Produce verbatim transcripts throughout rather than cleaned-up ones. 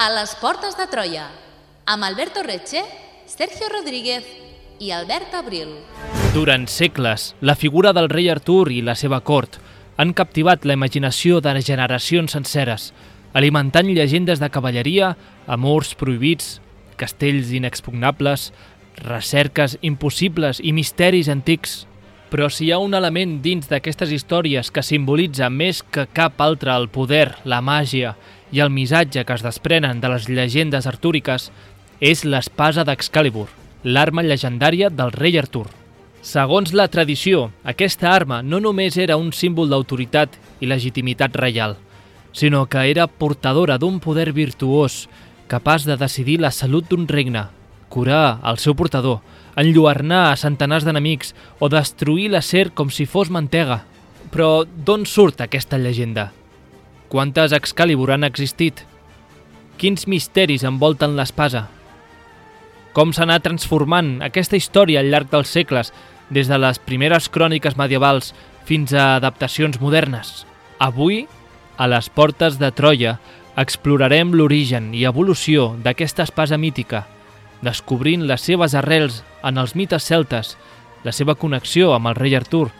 A les portes de Troia, amb Alberto Reche, Sergio Rodríguez i Albert Abril. Durant segles, la figura del rei Artur i la seva cort han captivat la imaginació de generacions senceres, alimentant llegendes de cavalleria, amors prohibits, castells inexpugnables, recerques impossibles i misteris antics. Però si hi ha un element dins d'aquestes històries que simbolitza més que cap altre el poder, la màgia i el missatge que es desprenen de les llegendes artúriques, és l'espasa d'Excalibur, l'arma llegendària del rei Artur. Segons la tradició, aquesta arma no només era un símbol d'autoritat i legitimitat reial, sinó que era portadora d'un poder virtuós, capaç de decidir la salut d'un regne, curar el seu portador, enlluernar a centenars d'enemics o destruir l'acer com si fos mantega. Però d'on surt aquesta llegenda? Quantes Excalibur han existit? Quins misteris envolten l'espasa? Com s'ha anat transformant aquesta història al llarg dels segles, des de les primeres cròniques medievals fins a adaptacions modernes? Avui, a les portes de Troia, explorarem l'origen i evolució d'aquesta espasa mítica, descobrint les seves arrels en els mites celtes, la seva connexió amb el rei Artur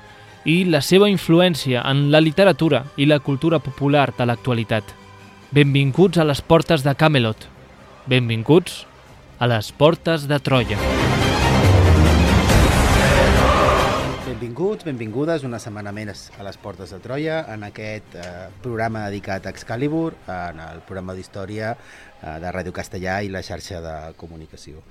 i la seva influència en la literatura i la cultura popular de l'actualitat. Benvinguts a les portes de Camelot. Benvinguts a les portes de Troia. Benvinguts, benvingudes una setmana més a les portes de Troia, en aquest eh, programa dedicat a Excalibur, en el programa d'història eh, de Ràdio Castellà i la xarxa de comunicació.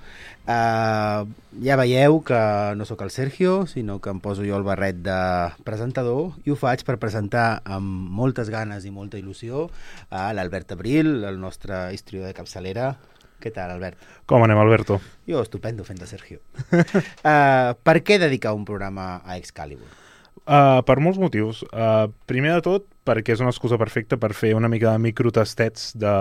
Eh, ja veieu que no sóc el Sergio, sinó que em poso jo el barret de presentador i ho faig per presentar amb moltes ganes i molta il·lusió a l'Albert Abril, el nostre historiador de capçalera. Què tal, Albert? Com anem, Alberto? Jo, estupendo, fent de Sergio. uh, per què dedicar un programa a Excalibur? Uh, per molts motius. Uh, primer de tot, perquè és una excusa perfecta per fer una mica de microtastets de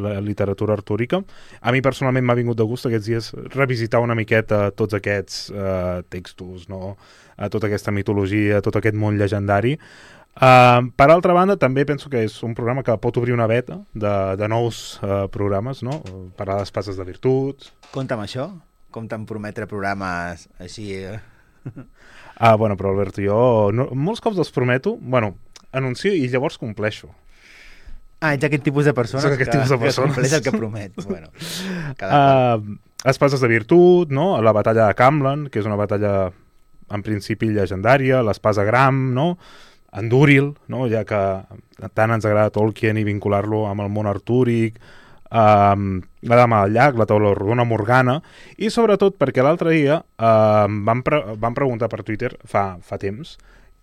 la literatura artúrica. A mi personalment m'ha vingut de gust aquests dies revisitar una miqueta tots aquests uh, textos, no? uh, tota aquesta mitologia, tot aquest món llegendari. Uh, per altra banda, també penso que és un programa que pot obrir una veta de, de nous uh, programes, no? Parlar d'espases de virtuts. Compte amb això? Compte amb prometre programes així... Ah, bueno, però Albert, jo no, molts cops els prometo, bueno, anuncio i llavors compleixo. Ah, ets aquest tipus de persona Soc aquest que, tipus de que persones. compleix el que promet. Bueno, cada uh, espases de virtut, no? La batalla de Camlan, que és una batalla en principi llegendària, l'espasa Gram, no? Andúril, no? Ja que tant ens agrada Tolkien i vincular-lo amb el món artúric, um, la Dama del Llac, la taula rodona Morgana, i sobretot perquè l'altre dia um, vam, pre vam preguntar per Twitter fa, fa temps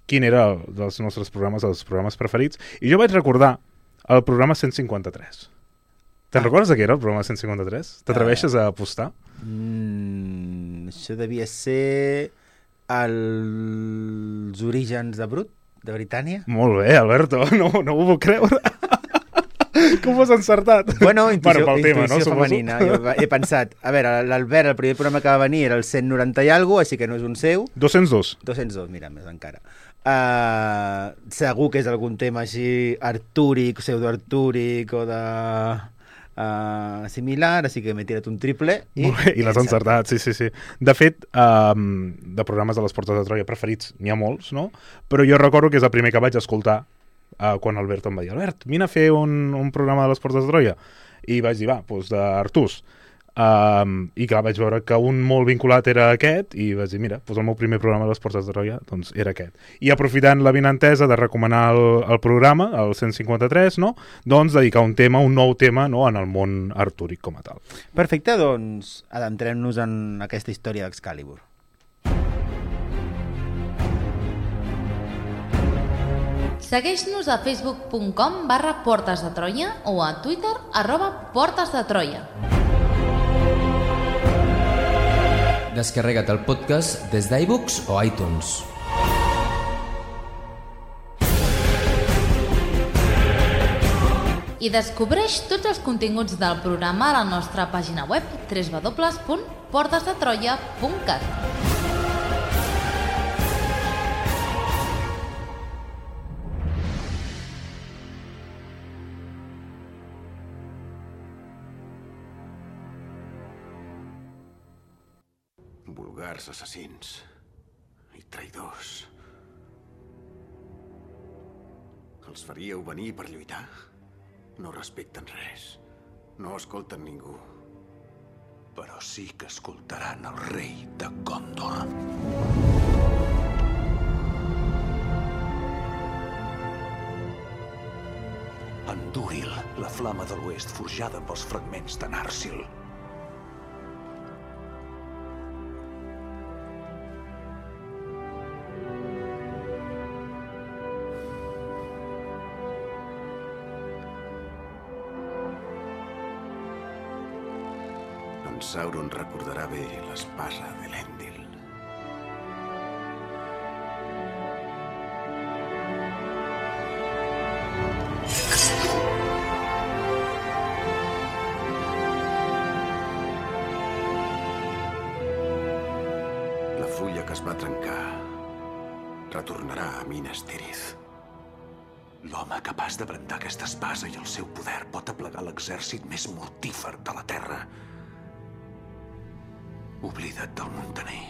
quin era el dels nostres programes, els programes preferits, i jo vaig recordar el programa cent cinquanta-tres. Te'n ah. recordes de què era el programa cent cinquanta-tres? T'atreveixes uh, a apostar? Mm, això devia ser els orígens de Brut? De Britània? Molt bé, Alberto, no, no ho puc creure. Com ho has encertat? Bueno, intuïció, bueno, intuïció tema, no? femenina. Jo he pensat, a veure, l'Albert, el primer programa que va venir era el cent noranta i alguna cosa, així que no és un seu. dos-cents dos. dos-cents dos, mira, més encara. Uh, segur que és algun tema així artúric, pseudoartúric o de... Uh, similar, així que m'he tirat un triple i, bé, i l'has encertat, sí, sí, sí. De fet, um, de programes de les portes de Troia preferits n'hi ha molts, no? Però jo recordo que és el primer que vaig escoltar uh, quan Albert em va dir Albert, vine a fer un, un programa de les portes de Troia, i vaig dir, va, doncs d'Artús. Um, i clar, vaig veure que un molt vinculat era aquest i vaig dir, mira, doncs el meu primer programa de les portes de Troia doncs era aquest. I aprofitant la vinentesa de recomanar el, el programa, el cent cinquanta-tres, no? Doncs dedicar un tema, un nou tema, no? En el món artúric com a tal. Perfecte, doncs adentrem-nos en aquesta història d'Excalibur. Segueix-nos a facebook punt com barra portes de Troia o a Twitter arroba portes de Troia. Descarrega't el podcast des d'iBooks o iTunes. I descobreix tots els continguts del programa a la nostra pàgina web w w w punt portes de troia punt cat. Vulgars assassins i traïdors. Els faríeu venir per lluitar? No respecten res. No escolten ningú. Però sí que escoltaran el rei de Gondor. Andúril, la flama de l'oest forjada pels fragments de Narsil. En Sauron recordarà bé l'espasa d'Elendil. La fulla que es va trencar retornarà a Minas Tirith. L'home capaç de brandar aquesta espasa i el seu poder pot aplegar l'exèrcit més mortífer de la Terra. Oblida't del muntaner.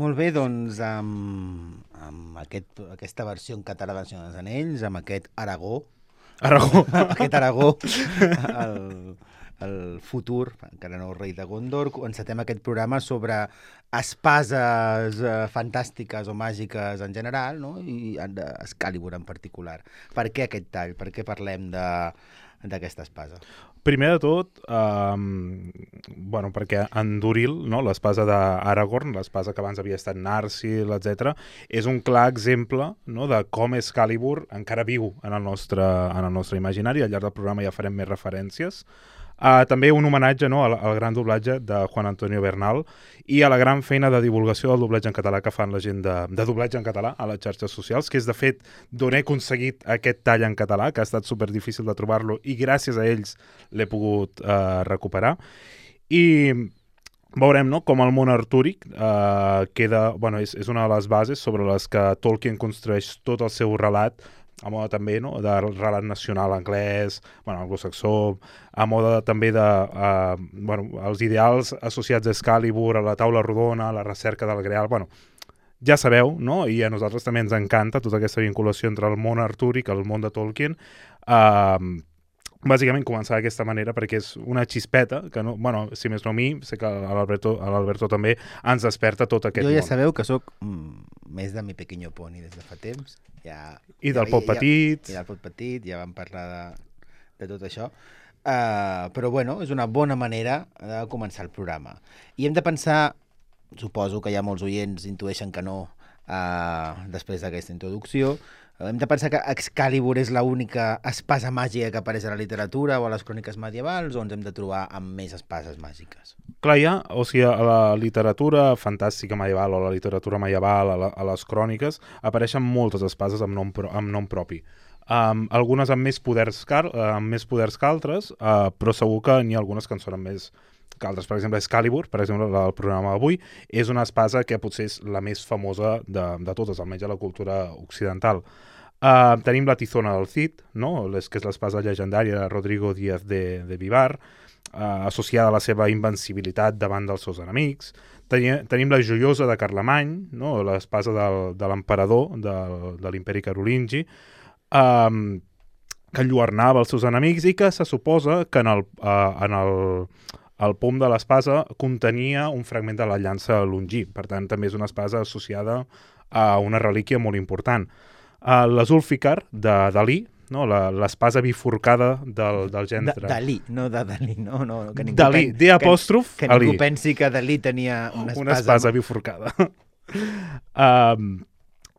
Molt bé, doncs, amb, amb aquest, aquesta versió en català de Senyor dels Anells, amb aquest Aragó, Aragó. aquest Aragó, el, el futur, encara no rei de Gondor, encetem aquest programa sobre espases eh, fantàstiques o màgiques en general, no? I d'Excalibur en particular. Per què aquest tall? Per què parlem de d'aquesta espasa? Primer de tot, um, bueno, perquè Andúril, no, l'espasa d'Aragorn, l'espasa que abans havia estat Narsil, etcètera, és un clar exemple, no, de com Excalibur encara viu en el nostre, en el nostre imaginari. Al llarg del programa ja farem més referències. Uh, també un homenatge, no, al, al gran doblatge de Juan Antonio Bernal i a la gran feina de divulgació del doblatge en català que fan la gent de, de doblatge en català a les xarxes socials, que és de fet d'on he aconseguit aquest tall en català, que ha estat super difícil de trobar-lo i gràcies a ells l'he pogut uh, recuperar. I veurem, no, com el món artúric uh, queda, bueno, és, és una de les bases sobre les que Tolkien construeix tot el seu relat, a moda també, no, de relat nacional anglès, bueno, anglosaxó, a moda també de uh, bueno, els ideals associats a Excalibur, a la taula rodona, a la recerca del Greal, bueno, ja sabeu, no? I a nosaltres també ens encanta tota aquesta vinculació entre el món artúric i el món de Tolkien. Uh, bàsicament començar d'aquesta manera perquè és una xispeta que, no, bueno, si més no a mi, sé que a l'Alberto, a l'Alberto també ens desperta tot aquest món. Jo ja món. sabeu que sóc mm, més de Mi Pequeño Pony des de fa temps. Ja, I del ja, Pot ja, Petit. I del Pot Petit, ja vam parlar de, de tot això. Uh, però bueno, és una bona manera de començar el programa. I hem de pensar, suposo que ja molts oients intueixen que no, uh, després d'aquesta introducció, hem de pensar que Excalibur és l'única espasa màgica que apareix a la literatura o a les cròniques medievals, o ens hem de trobar amb més espases màgiques? Clar, ja, o sigui, a la literatura fantàstica medieval o a la literatura medieval, a, la, a les cròniques, apareixen moltes espases amb nom, pro, amb nom propi. Um, algunes amb més poders, car, uh, amb més poders que altres, uh, però segur que n'hi ha algunes que en són més que altres. Per exemple, Excalibur, per exemple, el programa d'avui, és una espasa que potser és la més famosa de, de totes, almenys a la cultura occidental. Uh, tenim la Tizona del Cid, no? Les, que és l'espasa llegendària de Rodrigo Díaz de, de Vivar, uh, associada a la seva invencibilitat davant dels seus enemics. Tenim, tenim la Joiosa de Carlemany, no? L'espasa del, de l'emperador de, de l'imperi carolingi, um, que enlluernava els seus enemics i que se suposa que en el, uh, en el, el pom de l'espasa contenia un fragment de la llança longí. Per tant, també és una espasa associada a una relíquia molt important. Uh, la Zulfikar, de Dalí, no? L'espasa bifurcada del, del gendre. Dalí, no de Dalí, no? no que ningú Dalí, pen... D apòstrof, que, que ningú pensi que Dalí tenia una espasa... Una espasa bifurcada. um,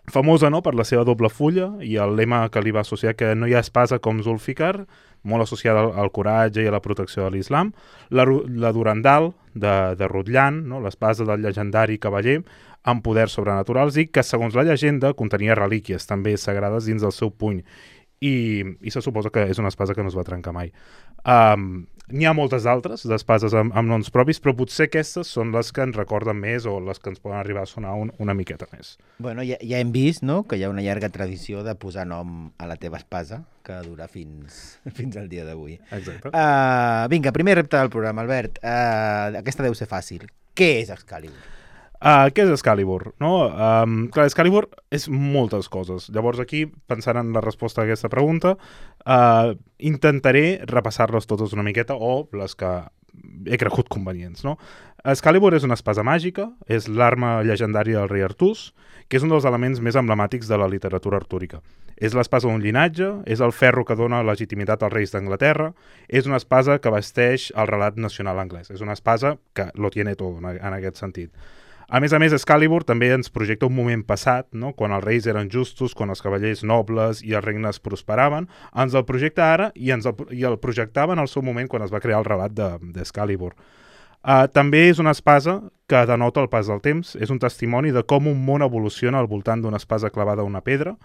famosa, no?, per la seva doble fulla i el lema que li va associar, que no hi ha espasa com Zulfikar, molt associada al, al coratge i a la protecció de l'islam. La, la Durandal, de, de Rutland, no?, l'espasa del llegendari cavaller, amb poders sobrenaturals i que, segons la llegenda, contenia relíquies també sagrades dins del seu puny. I, i se suposa que és una espasa que no es va trencar mai. Um, N'hi ha moltes altres d'espases amb, amb noms propis, però potser aquestes són les que ens recorden més o les que ens poden arribar a sonar un, una miqueta més. Bueno, ja, ja hem vist, no?, que hi ha una llarga tradició de posar nom a la teva espasa, que dura fins, fins al dia d'avui. Exacte. Uh, vinga, primer repte del programa, Albert. Uh, aquesta deu ser fàcil. Què és Excalibur? Uh, què és Excalibur? No? Um, clar, Excalibur és moltes coses. Llavors aquí, pensant en la resposta a aquesta pregunta, uh, intentaré repassar-les totes una miqueta o les que he cregut convenients. No? Excalibur és una espasa màgica, és l'arma llegendària del rei Artús, que és un dels elements més emblemàtics de la literatura artúrica. És l'espasa d'un llinatge, és el ferro que dona legitimitat als reis d'Anglaterra, és una espasa que vesteix el relat nacional anglès. És una espasa que lo tiene todo en, en aquest sentit. A més a més, Excalibur també ens projecta un moment passat, no? Quan els reis eren justos, quan els cavallers nobles i els regnes prosperaven, ens el projecta ara i, ens el, i el projectava en el seu moment quan es va crear el relat d'Excalibur. De, uh, també és una espasa que denota el pas del temps, és un testimoni de com un món evoluciona al voltant d'una espasa clavada a una pedra,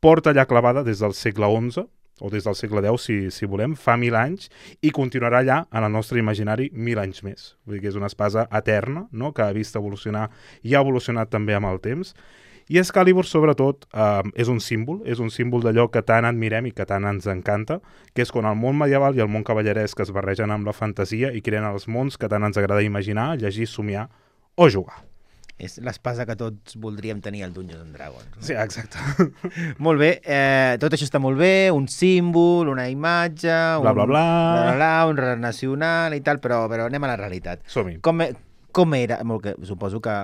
porta allà clavada des del segle onze, o des del segle deu, si, si volem, fa mil anys, i continuarà allà, en el nostre imaginari, mil anys més. Vull dir que és una espasa eterna, no?, que ha vist evolucionar i ha evolucionat també amb el temps. I Excalibur, sobretot, eh, és un símbol, és un símbol d'allò que tant admirem i que tant ens encanta, que és quan el món medieval i el món cavalleresc es barregen amb la fantasia i creen els mons que tant ens agrada imaginar, llegir, somiar o jugar. És l'espasa que tots voldríem tenir al Dungeons and Dragons. No? Sí, exacte. Molt bé, eh, tot això està molt bé, un símbol, una imatge, un, bla, bla, bla. Bla, bla, bla, un relat nacional i tal, però, però anem a la realitat. Som-hi. Com, com era? Molt que, suposo que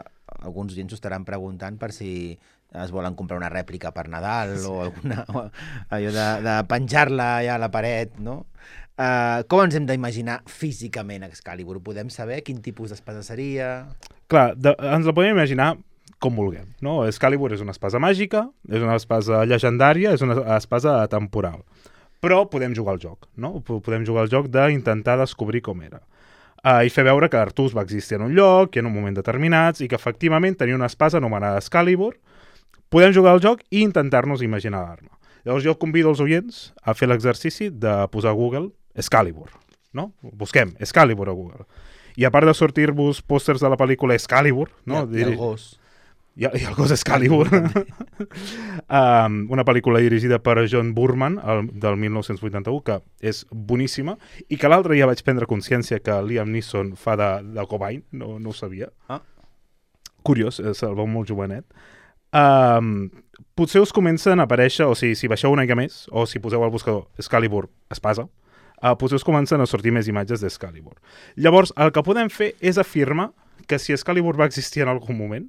alguns gens ho estaran preguntant per si es volen comprar una rèplica per Nadal sí. o alguna, o allò de, de penjar-la ja a la paret, no? Uh, com ens hem d'imaginar físicament Excalibur? Podem saber quin tipus d'espasa seria? Clar, de, ens la podem imaginar com vulguem, no? Excalibur és una espasa màgica, és una espasa llegendària, és una espasa atemporal. Però podem jugar al joc, no? Podem jugar al joc d'intentar descobrir com era. Uh, I fer veure que Artús va existir en un lloc i en un moment determinats i que efectivament tenia una espasa anomenada Excalibur. Podem jugar al joc i intentar-nos imaginar l'arma. Llavors jo convido els oients a fer l'exercici de posar a Google Excalibur, no? Busquem Excalibur a Google. I a part de sortir-vos pòsters de la pel·lícula Excalibur, no? I, i el gos. I, i el gos Excalibur. um, una pel·lícula dirigida per John Boorman, el, del mil nou-cents vuitanta-u, que és boníssima, i que l'altre dia vaig prendre consciència que Liam Neeson fa de, de Cobain, no, no ho sabia. Ah. Curiós, se'l veu molt jovenet. Um, potser us comencen a aparèixer, o sigui, si baixeu una mica més, o si poseu al buscador Excalibur espasa, uh, potser us comencen a sortir més imatges d'Excalibur. Llavors, el que podem fer és afirmar que si Excalibur va existir en algun moment,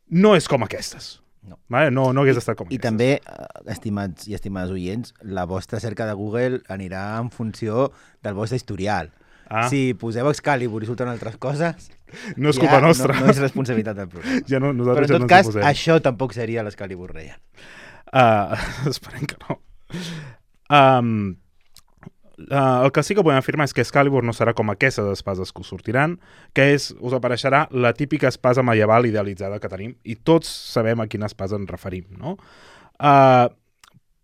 no és com aquestes. No, vale? no, no hagués estat com I, aquestes. I també, estimats i estimades oients, la vostra cerca de Google anirà en funció del vostre historial. Ah. Si poseu Excalibur i surten altres coses... No és culpa ja nostra. No, no és responsabilitat del programa. Ja no, Però en ja tot no cas, això tampoc seria l'Excalibur real. Uh, esperem que no. Um, uh, el que sí que podem afirmar és que Excalibur no serà com aquestes espases que us sortiran, que és, us apareixerà la típica espasa medieval idealitzada que tenim, i tots sabem a quina espasa ens referim, no? Uh,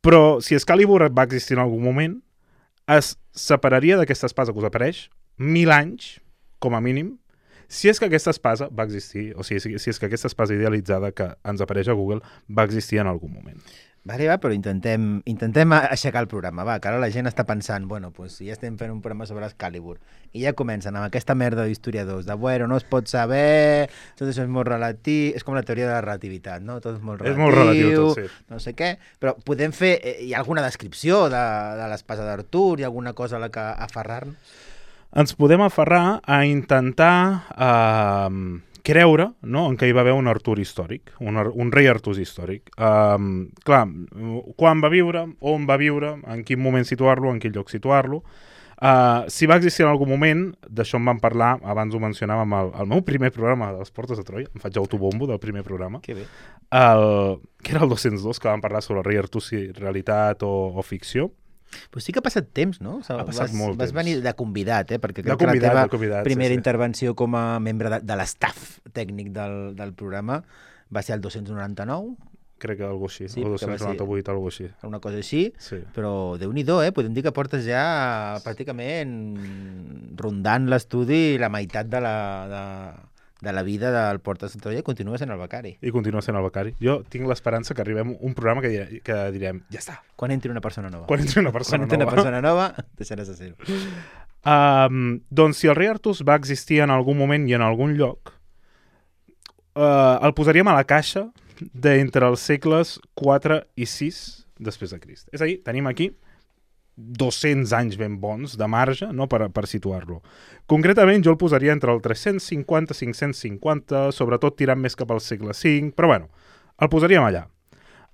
però si Excalibur va existir en algun moment, es separaria d'aquesta espasa que us apareix mil anys, com a mínim, si és que aquesta espasa va existir, o sigui, si, si és que aquesta espasa idealitzada que ens apareix a Google va existir en algun moment. Vale, va, però intentem, intentem aixecar el programa, va, que ara la gent està pensant, bueno, pues, si ja estem fent un programa sobre Excalibur, i ja comencen amb aquesta merda d'historiadors, de, bueno, no es pot saber, tot això és molt relatiu, és com la teoria de la relativitat, no? Tot és molt relatiu, és molt relatiu tot, sí. No sé què, però podem fer, hi ha alguna descripció de, de l'espasa d'Artur, hi ha alguna cosa a la que aferrar-nos? Ens podem aferrar a intentar eh, creure, no?, en què hi va haver un Artur històric, un, un rei Artús històric. Um, clar, quan va viure, on va viure, en quin moment situar-lo, en quin lloc situar-lo. Uh, si va existir en algun moment, d'això en vam parlar, abans ho mencionàvem al, al meu primer programa de les Portes de Troia, em faig autobombo del primer programa, que bé. El, que era el dos-cents dos, que vam parlar sobre el rei Artús, si realitat o, o ficció. Però sí que ha passat temps, no? O sigui, ha passat vas, molt vas temps. venir de convidat, eh? Perquè crec convidat, que la teva convidat, primera sí, sí. intervenció com a membre de, de l'estaf tècnic del, del programa va ser el dos-cents noranta-nou. Crec que alguna cosa així, sí, o dos-cents noranta-vuit, alguna cosa així. Una cosa així, sí. Però Déu-n'hi-do, eh? Podem dir que portes ja pràcticament rondant l'estudi la meitat de la... De... de la vida del Portes de Troia i continua sent el becari. I continua sent el becari. Jo tinc l'esperança que arribem a un programa que, direm, que direm, ja està. Quan entri una persona nova. Quan entri una persona Quan entri nova. una persona nova, deixaràs de ser-ho. Um, doncs si el rei Artús va existir en algun moment i en algun lloc, uh, el posaríem a la caixa d'entre els segles quatre i sis després de Crist. És a dir, tenim aquí dos-cents anys ben bons de marge, no, per, per situar-lo. Concretament, jo el posaria entre el tres-cents cinquanta i cinc-cents cinquanta, sobretot tirant més cap al segle cinc, però bueno, el posaríem allà.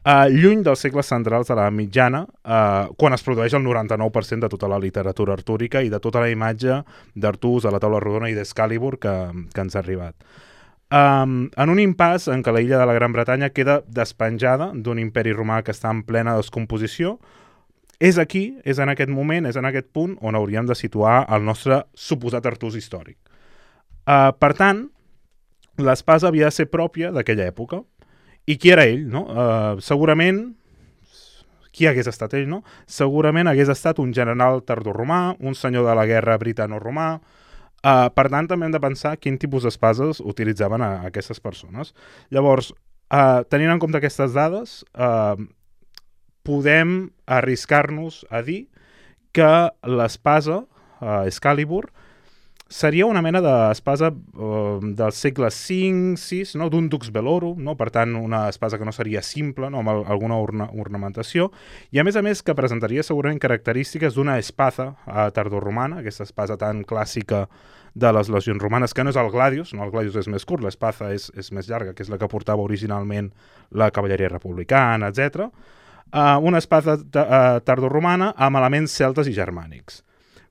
Uh, lluny dels segles centrals de la mitjana, uh, quan es produeix el noranta-nou per cent de tota la literatura artúrica i de tota la imatge d'Artús, de la taula rodona i d'Excalibur que, que ens ha arribat. Um, en un impàs en què la illa de la Gran Bretanya queda despenjada d'un imperi romà que està en plena descomposició, és aquí, és en aquest moment, és en aquest punt on hauríem de situar el nostre suposat Artús històric. Uh, per tant, l'espasa havia de ser pròpia d'aquella època. I qui era ell, no? Uh, segurament, qui hagués estat ell, no? Segurament hagués estat un general tardoromà, un senyor de la guerra britano-romà. Uh, per tant, també hem de pensar quin tipus d'espases utilitzaven a, a aquestes persones. Llavors, uh, tenint en compte aquestes dades, uh, podem arriscar-nos a dir que l'espasa, uh, Excalibur, seria una mena d'espasa uh, del segle cinc sis, no? D'un dux velorum, no? Per tant, una espasa que no seria simple, no? Amb el, alguna orna, ornamentació, i a més a més que presentaria segurament característiques d'una espaza uh, tardoromana, aquesta espasa tan clàssica de les legions romanes, que no és el gladius, no? El gladius és més curt, l'espaza és, és més llarga, que és la que portava originalment la cavalleria republicana, etcètera. Uh, una espada uh, tardoromana amb elements celtes i germànics.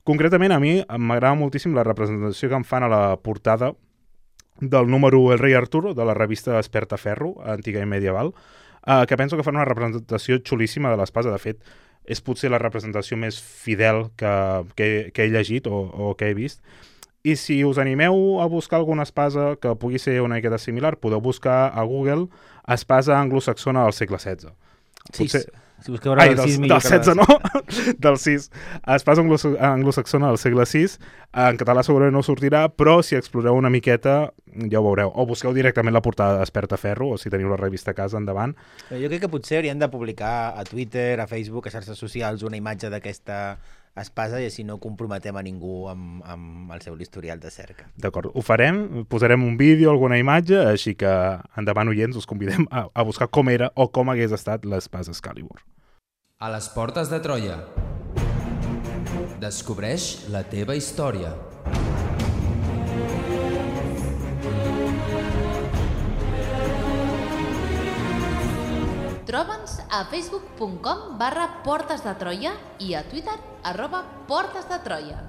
Concretament, a mi m'agrada moltíssim la representació que em fan a la portada del número El rei Arturo, de la revista Espertaferro, antiga i medieval, uh, que penso que fan una representació xulíssima de l'espasa. De fet, és potser la representació més fidel que, que, que he llegit o, o que he vist. I si us animeu a buscar alguna espasa que pugui ser una miqueta similar, podeu buscar a Google espasa anglosaxona del segle setze. Potser... sis. Si busqueu Ai, del del, sis, del setze, no? Del sis. Espasa anglosaxona del segle sis. En català segurament no sortirà, però si exploreu una miqueta ja ho veureu. O busqueu directament la portada d'Espertaferro, o si teniu la revista a casa, endavant. Jo crec que potser hauríem de publicar a Twitter, a Facebook, a xarxes socials, una imatge d'aquesta espasa i així no comprometem a ningú amb, amb el seu historial de cerca. D'acord, ho farem, posarem un vídeo, alguna imatge, així que endavant oients us convidem a, a buscar com era o com hagués estat l'espasa Excalibur. A les portes de Troia. Descobreix la teva història. Troba'ns a facebook punt com barra Portes de Troia i a Twitter arroba Portes de Troia.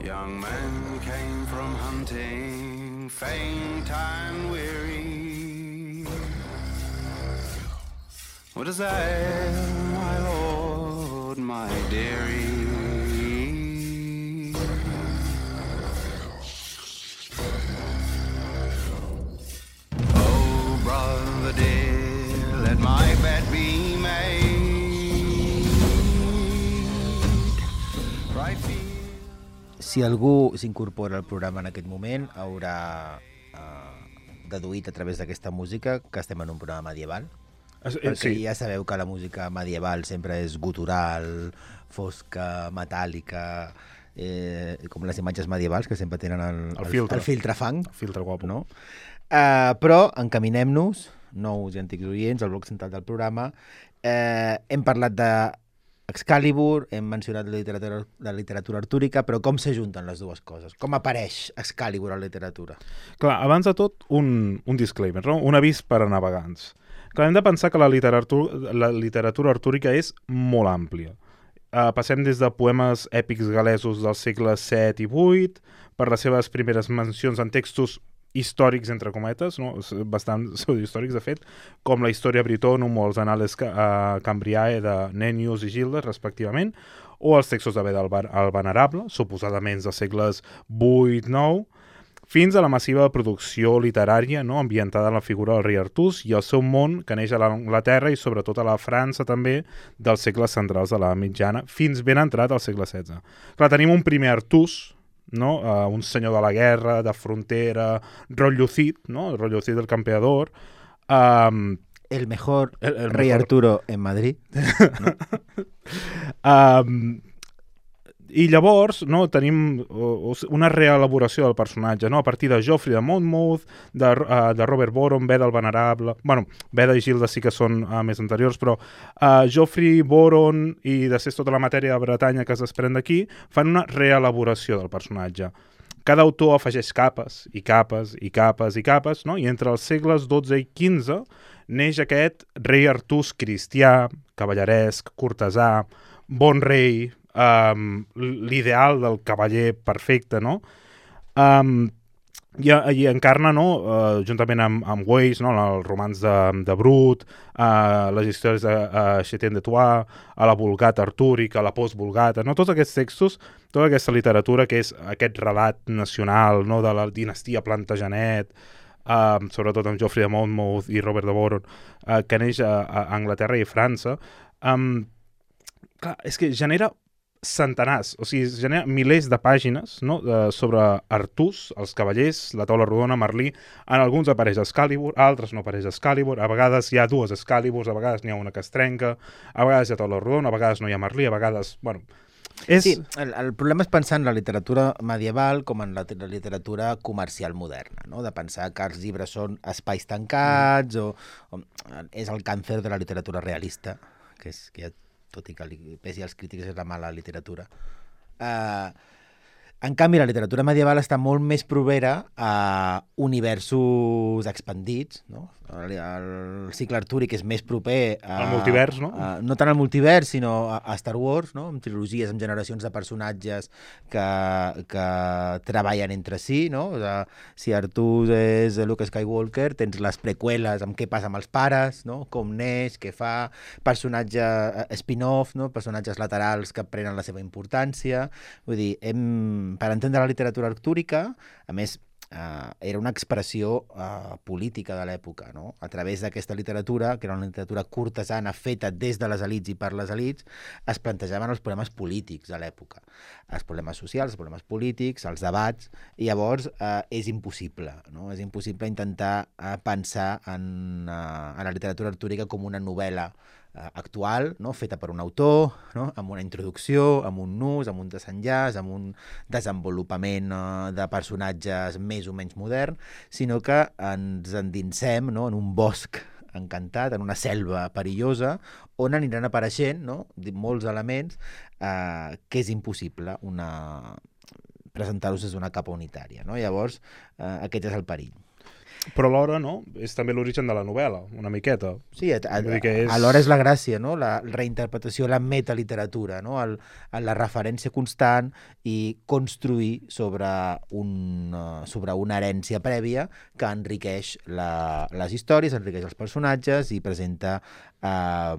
Young men came from hunting, faint and weary. What is that, my lord, my dearie? Oh, brother dear, let my bed be made. Right feet. Si algú s'incorpora al programa en aquest moment, haurà eh, deduït a través d'aquesta música que estem en un programa medieval. Es, perquè sí. ja sabeu que la música medieval sempre és gutural, fosca, metàl·lica, eh, com les imatges medievals que sempre tenen el, El filtre. el filtre fang. El filtre guapo. No? Uh, però encaminem-nos, nous i antics oients, al bloc central del programa. Eh, hem parlat de Excalibur, hem mencionat la literatura, la literatura artúrica, però com s'ajunten les dues coses? Com apareix Excalibur a la literatura? Clar, abans de tot, un, un disclaimer, no? Un avís per a navegants. Clar, hem de pensar que la literatura, la literatura artúrica és molt àmplia. Uh, passem des de poemes èpics galesos dels segles set i vuit, per les seves primeres mencions en textos històrics, entre cometes, no? Bastant històrics, de fet, com la Historia Britonum o els Annales uh, Cambriae de Nennius i Gildas, respectivament, o els textos de Beda el Venerable, suposadament dels segles vuit nou, fins a la massiva producció literària, no?, ambientada en la figura del rei Artús i el seu món que neix a l'Anglaterra i sobretot a la França també dels segles centrals de la mitjana, fins ben entrat al segle setze. Clar, tenim un primer Artús, no?, uh, un senyor de la guerra, de frontera, rotllo Cid, no?, el rotllo Cid del campeador, um, el mejor el, el rei mejor... Arturo en Madrid. No? um, I llavors, no, tenim una reelaboració del personatge, no?, a partir de Geoffrey de Monmouth, de, uh, de Robert Boron, Beda el Venerable... Bueno, Beda i Gilda sí que són uh, més anteriors, però uh, Geoffrey, Boron i després tota la matèria de Bretanya que es desprèn d'aquí fan una reelaboració del personatge. Cada autor afegeix capes i capes i capes i capes, no?, i entre els segles dotze i quinze neix aquest rei Artús cristià, cavalleresc, cortesà, bon rei... Um, l'ideal del cavaller perfecte, no? Um, i, i encarna, no?, uh, juntament amb, amb Weiss, no?, el romanç de, de Brut, uh, les històries de uh, Chetien de Troyes, a la Vulgata artúrica, a la post-vulgata, no?, tots aquests textos, tota aquesta literatura que és aquest relat nacional, no?, de la dinastia Plantagenet, uh, sobretot amb Geoffrey de Monmouth i Robert de Boron, uh, que neix a, a Anglaterra i França. Um, clar, és que genera centenars, o sigui, genera milers de pàgines, no?, de, sobre Artús, els cavallers, la taula rodona, Merlí. En alguns apareix Excalibur, altres no apareix Excalibur, a vegades hi ha dues Excaliburs, a vegades n'hi ha una que es trenca, a vegades hi ha taula rodona, a vegades no hi ha Merlí, a vegades... Bueno, és... Sí, el, el problema és pensar en la literatura medieval com en la, la literatura comercial moderna, no?, de pensar que els llibres són espais tancats, mm. o, o és el càncer de la literatura realista, que és que ja tot i que li pesi als crítics és la mala literatura. Uh, en canvi, la literatura medieval està molt més propera a universos expandits, no? El, el cicle artúric és més proper a... al multivers, no? A, no tant al multivers, sinó a, a Star Wars, no?, amb trilogies, amb generacions de personatges que, que treballen entre si, no? O sigui, si Artús és Luke Skywalker, tens les preqüeles amb què passa amb els pares, no?, com neix, què fa, personatge spin-off, no?, personatges laterals que prenen la seva importància. Vull dir, hem, per entendre la literatura artúrica, a més, Uh, era una expressió uh, política de l'època, no? A través d'aquesta literatura, que era una literatura cortesana feta des de les elits i per les elits, es plantejaven els problemes polítics de l'època, els problemes socials, els problemes polítics, els debats, i llavors uh, és impossible, no? És impossible intentar uh, pensar en, uh, en la literatura artúrica com una novel·la uh, actual, no?, feta per un autor, no?, amb una introducció, amb un nus, amb un desenllaç, amb un desenvolupament uh, de personatges més o menys modern, sinó que ens endinsem, no?, en un bosc encantat, en una selva perillosa, on aniran apareixent, no?, molts elements eh, que és impossible una... presentar-los des d'una capa unitària, no? Llavors, eh, aquest és el perill. Però alhora, no?, és també l'origen de la novel·la, una miqueta. Sí, a, a, és... alhora és la gràcia, no?, la reinterpretació, la metaliteratura, no?, el, la referència constant i construir sobre, un, sobre una herència prèvia que enriqueix la, les històries, enriqueix els personatges i presenta... Eh,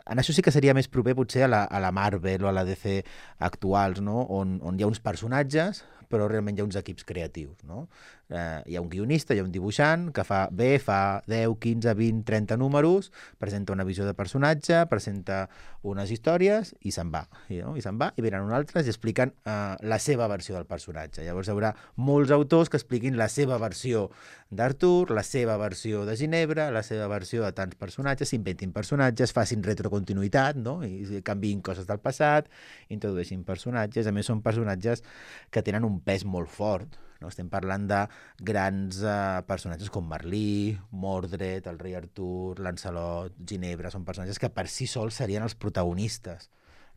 en això sí que seria més proper potser a la, a la Marvel o a la D C actuals, no?, on, on hi ha uns personatges però realment hi ha uns equips creatius, no? Eh, hi ha un guionista, hi ha un dibuixant que fa bé, fa deu, quinze, vint, trenta números, presenta una visió de personatge, presenta unes històries i se'n va, i, no? I se'n va, i venen uns altres i expliquen eh, la seva versió del personatge. Llavors hi haurà molts autors que expliquin la seva versió d'Artur, la seva versió de Ginebra, la seva versió de tants personatges, s'inventin personatges, facin retrocontinuïtat, no? I canviïn coses del passat, introdueixin personatges. A més, són personatges que tenen un pes molt fort, no? Estem parlant de grans eh, personatges com Merlí, Mordred, el rei Artur, Lancelot, Ginebra, són personatges que per si sols serien els protagonistes,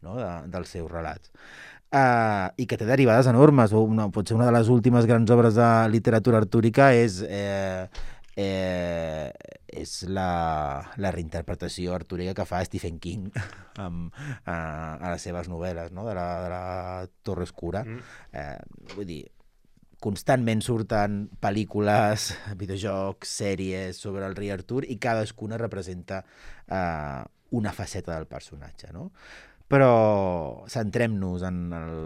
no?, de, dels seus relats. Uh, i que té derivades enormes. Una, potser una de les últimes grans obres de literatura artúrica és... Eh, Eh, és la, la reinterpretació artúrica que fa Stephen King amb, a, a les seves novel·les, no?, de la, de la Torre Oscura. Mm. Eh, vull dir, constantment surten pel·lícules, videojocs, sèries sobre el rei Artur i cadascuna representa eh, una faceta del personatge, no? però centrem-nos en el,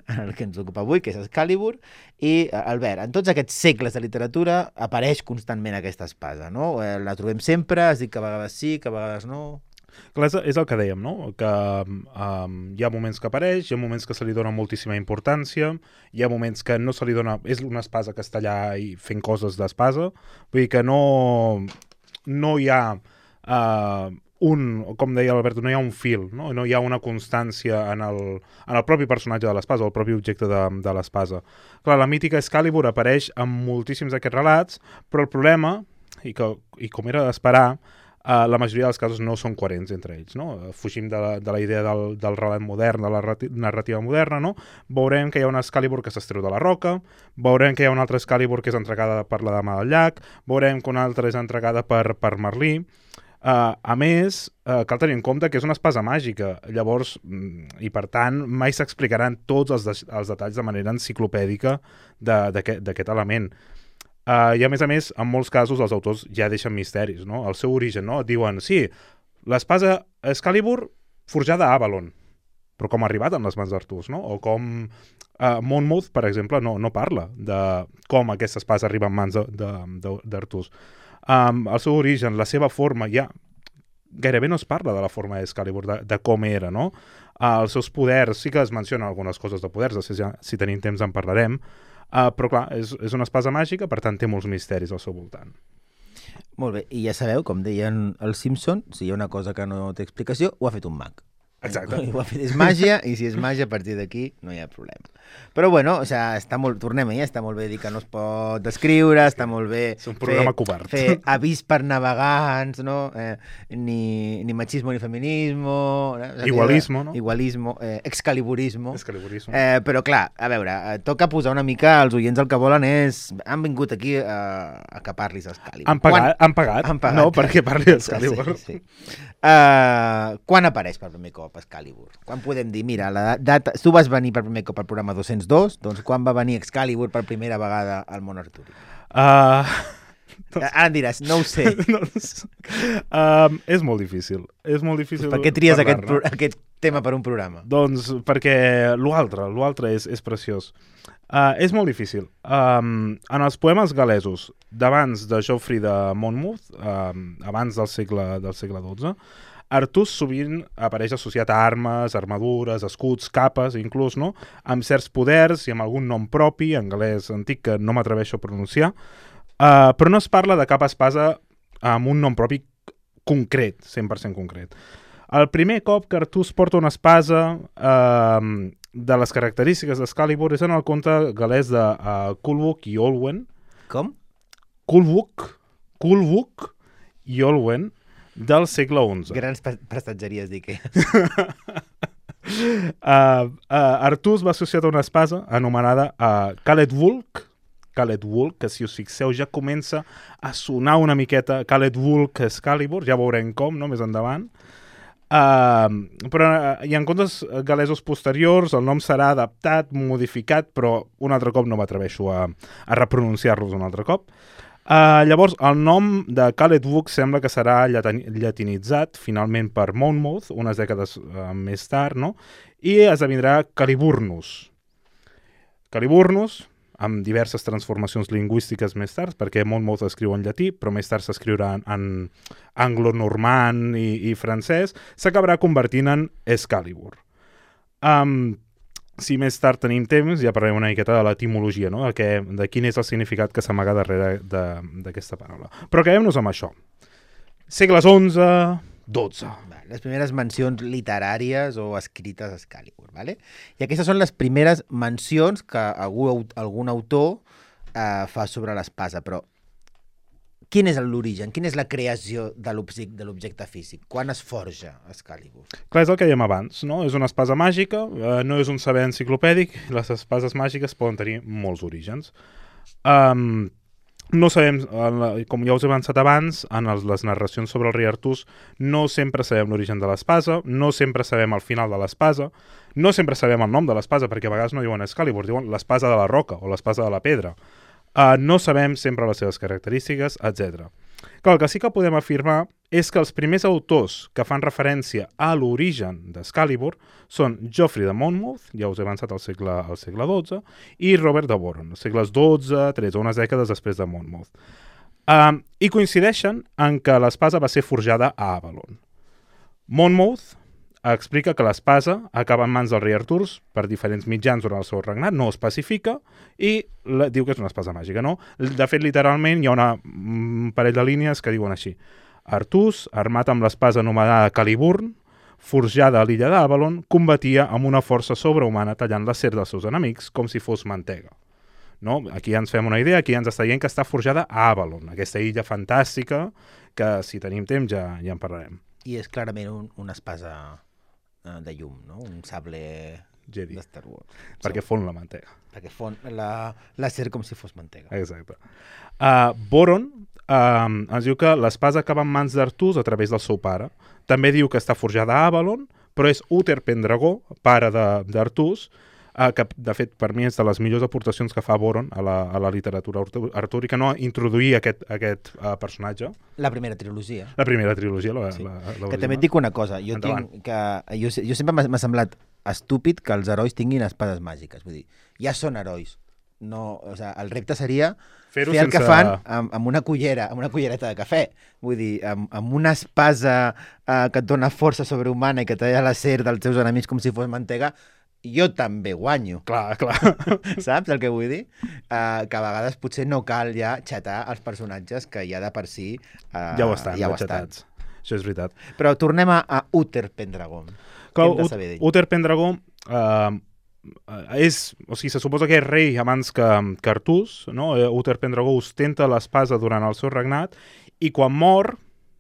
en el que ens ocupa avui, que és Excalibur, i, Albert, en tots aquests segles de literatura apareix constantment aquesta espasa, no? La trobem sempre, es diu que a vegades sí, que a vegades no... Clar, és, és el que dèiem, no? Que um, hi ha moments que apareix, hi ha moments que se li dona moltíssima importància, hi ha moments que no se li dona... És una espasa que està allà i fent coses d'espasa, vull dir que no, no hi ha uh, un, com deia l'Alberto, no hi ha un fil, no? No hi ha una constància en el, en el propi personatge de l'espasa, el propi objecte de, de l'espasa. Clar, la mítica Excalibur apareix en moltíssims d'aquests relats, però el problema, i, que, i com era d'esperar, Uh, la majoria dels casos no són coherents entre ells, no? Fugim de la, de la idea del, del relat modern, de la narrativa moderna, no? Veurem que hi ha una Excalibur que s'estreu de la roca, veurem que hi ha una altra Excalibur que és entregada per la dama del llac, veurem que una altra és entregada per, per Merlí. Uh, a més, uh, cal tenir en compte que és una espasa màgica, llavors, i per tant, mai s'explicaran tots els, de, els detalls de manera enciclopèdica d'aquest element. Uh, I a més a més, en molts casos els autors ja deixen misteris, no? El seu origen, no? Et diuen, sí, l'espasa Excalibur forjada a Avalon, però com ha arribat en les mans d'Artús, no? O com uh, Monmouth, per exemple, no, no parla de com aquesta espasa arriba en mans d'Artús. Um, el seu origen, la seva forma, ja gairebé no es parla de la forma d'Excalibur, de, de com era, no? Uh, els seus poders, sí que es mencionen algunes coses de poders, si, ja, si tenim temps en parlarem, Uh, però clar, és, és una espasa màgica, per tant té molts misteris al seu voltant. Molt bé, i ja sabeu, com deien els Simpson, si hi ha una cosa que no té explicació, ho ha fet un mag. Exacte. Ho ha fet, és màgia, i si és màgia, a partir d'aquí no hi ha problema. Però bueno, o sea, està molt, tornem ahir, està molt bé dir que no es pot descriure, està molt bé és un programa fer, covard. fer avís per navegants, no? Eh, ni, ni machismo ni feminismo... Eh? Igualismo, no? Igualismo, eh, excaliburismo. Excaliburismo. Eh, però clar, a veure, eh, toca posar una mica, els oients el que volen és... Han vingut aquí a, a que parlis Excalibur. Han pagat, quan... han pagat, han pagat, no? Perquè parli Excalibur. Sí, sí. Uh, quan apareix per primer cop Excalibur? Quan podem dir, mira, la data... Tu vas venir per primer cop al programa dos-cents dos, doncs quan va venir Excalibur per primera vegada al món artúric? Uh... Ara em diràs, no ho sé. no, um, és molt difícil. És molt difícil pues per què tries aquest, aquest tema per un programa? Doncs perquè l'altre, l'altre és, és preciós. Uh, és molt difícil. Um, en els poemes galesos d'abans de Geoffrey de Monmouth, um, abans del segle, del segle dotze, Artús sovint apareix associat a armes, armadures, escuts, capes, inclús, no? Amb certs poders i amb algun nom propi, en galès antic, que no m'atreveixo a pronunciar, uh, però no es parla de cap espasa amb un nom propi concret, cent per cent concret. El primer cop que Artús porta una espasa uh, de les característiques d'Excalibur és en el conte galès de uh, Culhwch i Olwen. Com? Culhwch, Culhwch i Olwen, del segle onze. Grans prestatgeries, dic. uh, uh, Artús va associat a una espasa anomenada uh, Caledwulf, Caledwulf, que si us fixeu ja comença a sonar una miqueta Caledwulf Excalibur, ja veurem com, no?, més endavant. Uh, però uh, i en contes galesos posteriors el nom serà adaptat, modificat, però un altre cop no m'atreveixo a, a repronunciar-los un altre cop. Uh, llavors, el nom de Caledwulf sembla que serà llatinitzat finalment per Monmouth, unes dècades uh, més tard, no? I esdevindrà Caliburnus. Caliburnus, amb diverses transformacions lingüístiques més tard, perquè Monmouth escriu en llatí, però més tard s'escriurà en, en anglo-normand i, i francès, s'acabarà convertint en Excalibur. Um, Si més tard tenim temps, ja parlarem una miqueta de l'etimologia, no? de, què, de quin és el significat que s'amaga darrere d'aquesta paraula. Però quedem-nos amb això. Segles onze, dotze. Les primeres mencions literàries o escrites d'Excalibur, ¿vale? I aquestes són les primeres mencions que algú, algun autor eh, fa sobre l'espasa, però quin és l'origen? Quina és la creació de l'objecte físic? Quan es forja Excalibur? Clar, és el que dèiem abans, no? És una espasa màgica, eh, no és un saber enciclopèdic, les espases màgiques poden tenir molts orígens. Um, no sabem, com ja us he avançat abans, en les, les narracions sobre el rei Artús, no sempre sabem l'origen de l'espasa, no sempre sabem el final de l'espasa, no sempre sabem el nom de l'espasa, perquè a vegades no diuen Excalibur, diuen l'espasa de la roca o l'espasa de la pedra. Uh, no sabem sempre les seves característiques, etcètera. Clar, el que sí que podem afirmar és que els primers autors que fan referència a l'origen d'Excalibur són Geoffrey de Monmouth, ja us he avançat al segle, al segle dotze, i Robert de Boron, als segles dotze, tretze, unes dècades després de Monmouth. Um, I coincideixen en que l'espasa va ser forjada a Avalon. Monmouth explica que l'espasa acaba en mans del rei Artur per diferents mitjans durant el seu regnat, no ho especifica, i la, diu que és una espasa màgica, no? De fet, literalment, hi ha una, un parell de línies que diuen així. Artús, armat amb l'espasa anomenada Caliburn, forjada a l'illa d'Avalon, combatia amb una força sobrehumana tallant l'acer dels seus enemics com si fos mantega. No? Aquí ja ens fem una idea, aquí ja ens està dient que està forjada a Avalon, aquesta illa fantàstica que, si tenim temps, ja, ja en parlarem. I és clarament un, una espasa de llum, no? Un sable Jedi. de Star Wars. Perquè fon la mantega. Perquè fon la, l'acer com si fos mantega. Exacte. Uh, Boron uh, ens diu que l'espasa acaba en mans d'Artús a través del seu pare. També diu que està forjada a Avalon, però és Uther Pendragó, pare d'Artús, uh, que de fet per mi és de les millors aportacions que fa Boron a la, a la literatura artúrica, no? Introduir aquest, aquest uh, personatge. La primera trilogia. La primera trilogia. La, sí. la, la que també et dic una cosa, jo, tinc que, jo, jo sempre m'ha semblat estúpid que els herois tinguin espades màgiques, vull dir, ja són herois. No, o sigui, el repte seria fer el sense... que fan amb, amb una cullera, amb una cullereta de cafè. Vull dir, amb, amb una espasa eh, que et dona força sobrehumana i que talla l'acer dels teus enemics com si fos mantega, jo també guanyo. Clar, clar. Saps el que vull dir? Uh, que a vegades potser no cal ja xatar els personatges que ja de per si... Uh, ja ho estan, ja ho estan. Això és veritat. Però tornem a, a Uther Pendragon. Clar, Uther Pendragon... Uh, és, o sigui, se suposa que és rei abans que, que Artús, no? Uther Pendragon ostenta l'espasa durant el seu regnat i quan mor,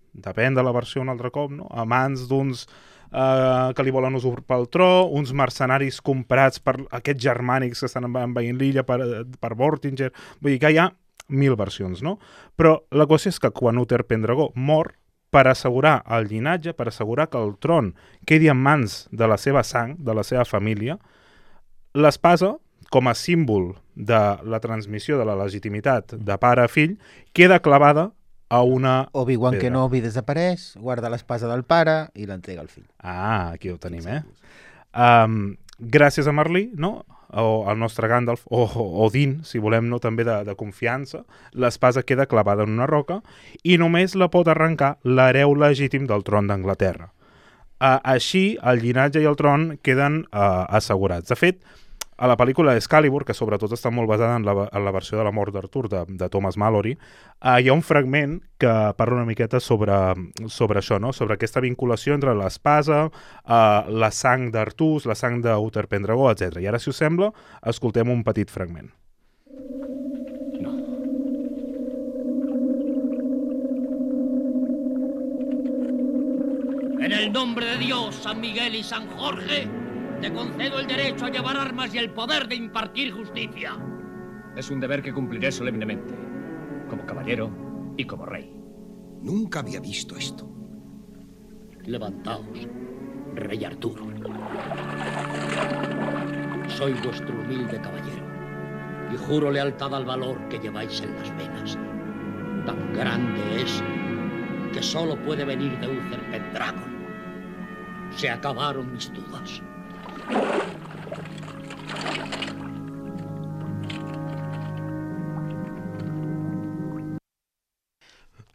depèn de la versió un altre cop, no? A mans d'uns uh, que li volen usurpar el tro, uns mercenaris comprats per aquests germànics que estan envaint l'illa per, per Vortinger, vull dir que hi ha mil versions, no? Però la cosa és que quan Uther Pendragon mor, per assegurar el llinatge, per assegurar que el tron quedi en mans de la seva sang, de la seva família, l'espasa, com a símbol de la transmissió de la legitimitat de pare a fill, queda clavada a una Obi-Wan Kenobi desapareix, guarda l'espasa del pare i l'entrega al fill. Ah, aquí ho tenim, eh? Um, gràcies a Merlí, no? O al nostre Gandalf, o Odin, si volem, no? També de, de confiança, l'espasa queda clavada en una roca i només la pot arrencar l'hereu legítim del tron d'Anglaterra. Uh, així, el llinatge i el tron queden uh, assegurats. De fet, a la pel·lícula Excalibur, que sobretot està molt basada en la, en la versió de la mort d'Artur de, de Thomas Malory, uh, hi ha un fragment que parla una miqueta sobre, sobre això, no? Sobre aquesta vinculació entre l'espasa, uh, la sang d'Artús, la sang d'Uther Pendragon, etcètera. I ara, si us sembla, escoltem un petit fragment. No. En el nombre de Dios, San Miguel y San Jorge, te concedo el derecho a llevar armas y el poder de impartir justicia. Es un deber que cumpliré solemnemente, como caballero y como rey. Nunca había visto esto. Levantaos, rey Arturo. Soy vuestro humilde caballero y juro lealtad al valor que lleváis en las venas. Tan grande es que solo puede venir de Uther Pendragon. Se acabaron mis dudas.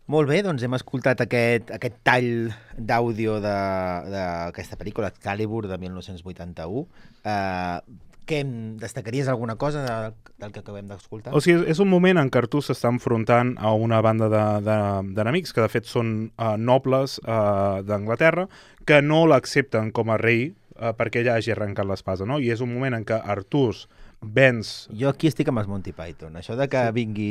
Molt bé, doncs hem escoltat aquest, aquest tall d'àudio d'aquesta pel·lícula, Excalibur, de mil nou-cents vuitanta-u. Uh, què destacaries alguna cosa del, del que acabem d'escoltar? O sigui, és un moment en què Artús s'està enfrontant a una banda d'enemics, que de fet són uh, nobles uh, d'Anglaterra, que no l'accepten com a rei uh, perquè ella hagi arrencat l'espasa, no? I és un moment en què Artús venç... Jo aquí estic amb els Monty Python. Això de que sí. vingui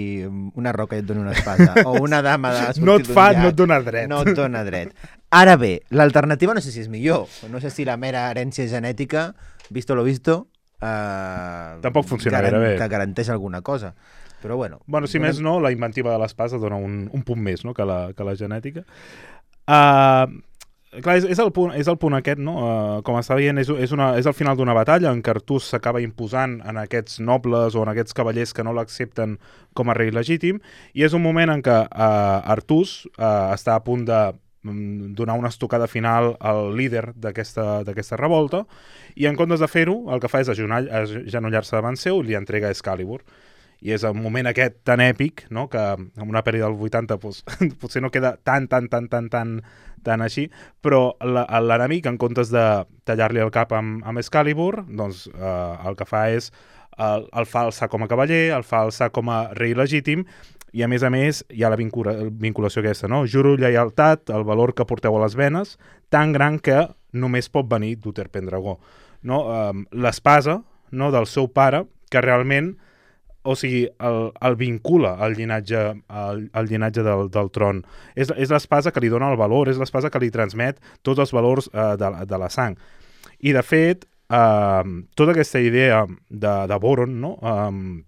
una roca i et doni una espasa, o una dama de no et fa, no et dona dret. No et dona dret. Ara bé, l'alternativa no sé si és millor. No sé si la mera herència genètica, visto lo visto, eh, tampoc funciona garan bé. Te garanteix alguna cosa. Però bueno... Bueno, si donem... més no, la inventiva de l'espasa dona un, un punt més, no?, que la, que la genètica. Uh, clar, és, és, el punt, és el punt aquest, no? Uh, com està dient, és, és, una, és el final d'una batalla en què Artús s'acaba imposant en aquests nobles o en aquests cavallers que no l'accepten com a rei legítim, i és un moment en què uh, Artús uh, està a punt de um, donar una estocada final al líder d'aquesta revolta, i en comptes de fer-ho, el que fa és agenollar-se davant seu i li entrega Excalibur. I és el moment aquest tan èpic, no?, que en una pel·li del vuitanta pues, potser no queda tan, tan, tan, tan, tan, tan així, però l'enemic, en comptes de tallar-li el cap amb, amb Excalibur, doncs eh, el que fa és el, el fa alçar com a cavaller, el fa alçar com a rei legítim, i a més a més hi ha la vincula, vinculació aquesta, no? Juro lleialtat, el valor que porteu a les venes, tan gran que només pot venir d'Uther Pendragó. No? Eh, l'espasa, no?, del seu pare, que realment, o sigui, el, el vincula al llinatge, al, al llinatge del, del tron. És, és l'espasa que li dona el valor, és l'espasa que li transmet tots els valors eh, de, de la sang. I, de fet, eh, tota aquesta idea de, de Boron, no?, eh,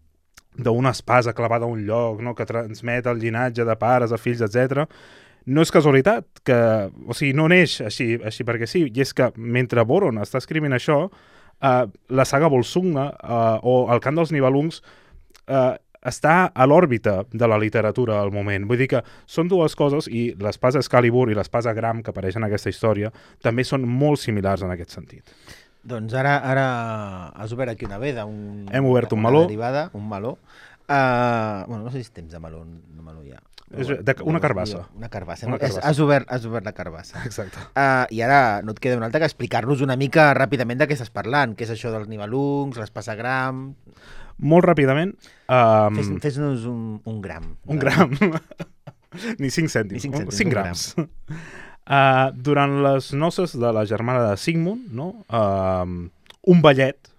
d'una espasa clavada a un lloc, no?, que transmet el llinatge de pares a fills, etcètera, no és casualitat, que, o sigui, no neix així, així perquè sí, i és que mentre Boron està escrivint això, eh, la saga Volsungna eh, o el cant dels Nibelungs Uh, està a l'òrbita de la literatura al moment. Vull dir que són dues coses, i l'espasa Excalibur i l'espasa Gram, que apareixen en aquesta història, també són molt similars en aquest sentit. Doncs ara, ara has obert aquí una veda. Un, Hem obert un meló. Derivada, un meló. Uh, bueno, no sé si temps de meló, no meló ja. És de, una carbassa. Una carbassa. Una carbassa. Has, obert, has obert la carbassa. Exacte. Uh, I ara no et queda un altre que explicar-nos una mica ràpidament de què estàs parlant, què és això dels Nibelungs, l'espasa Gram... Molt ràpidament... Um... Fes, fes-nos un, un gram. Un gram. Ni cinc cèntims. Ni cinc cèntims, cinc grams. Gram. Uh, durant les noces de la germana de Sigmund, no? uh, un ballet,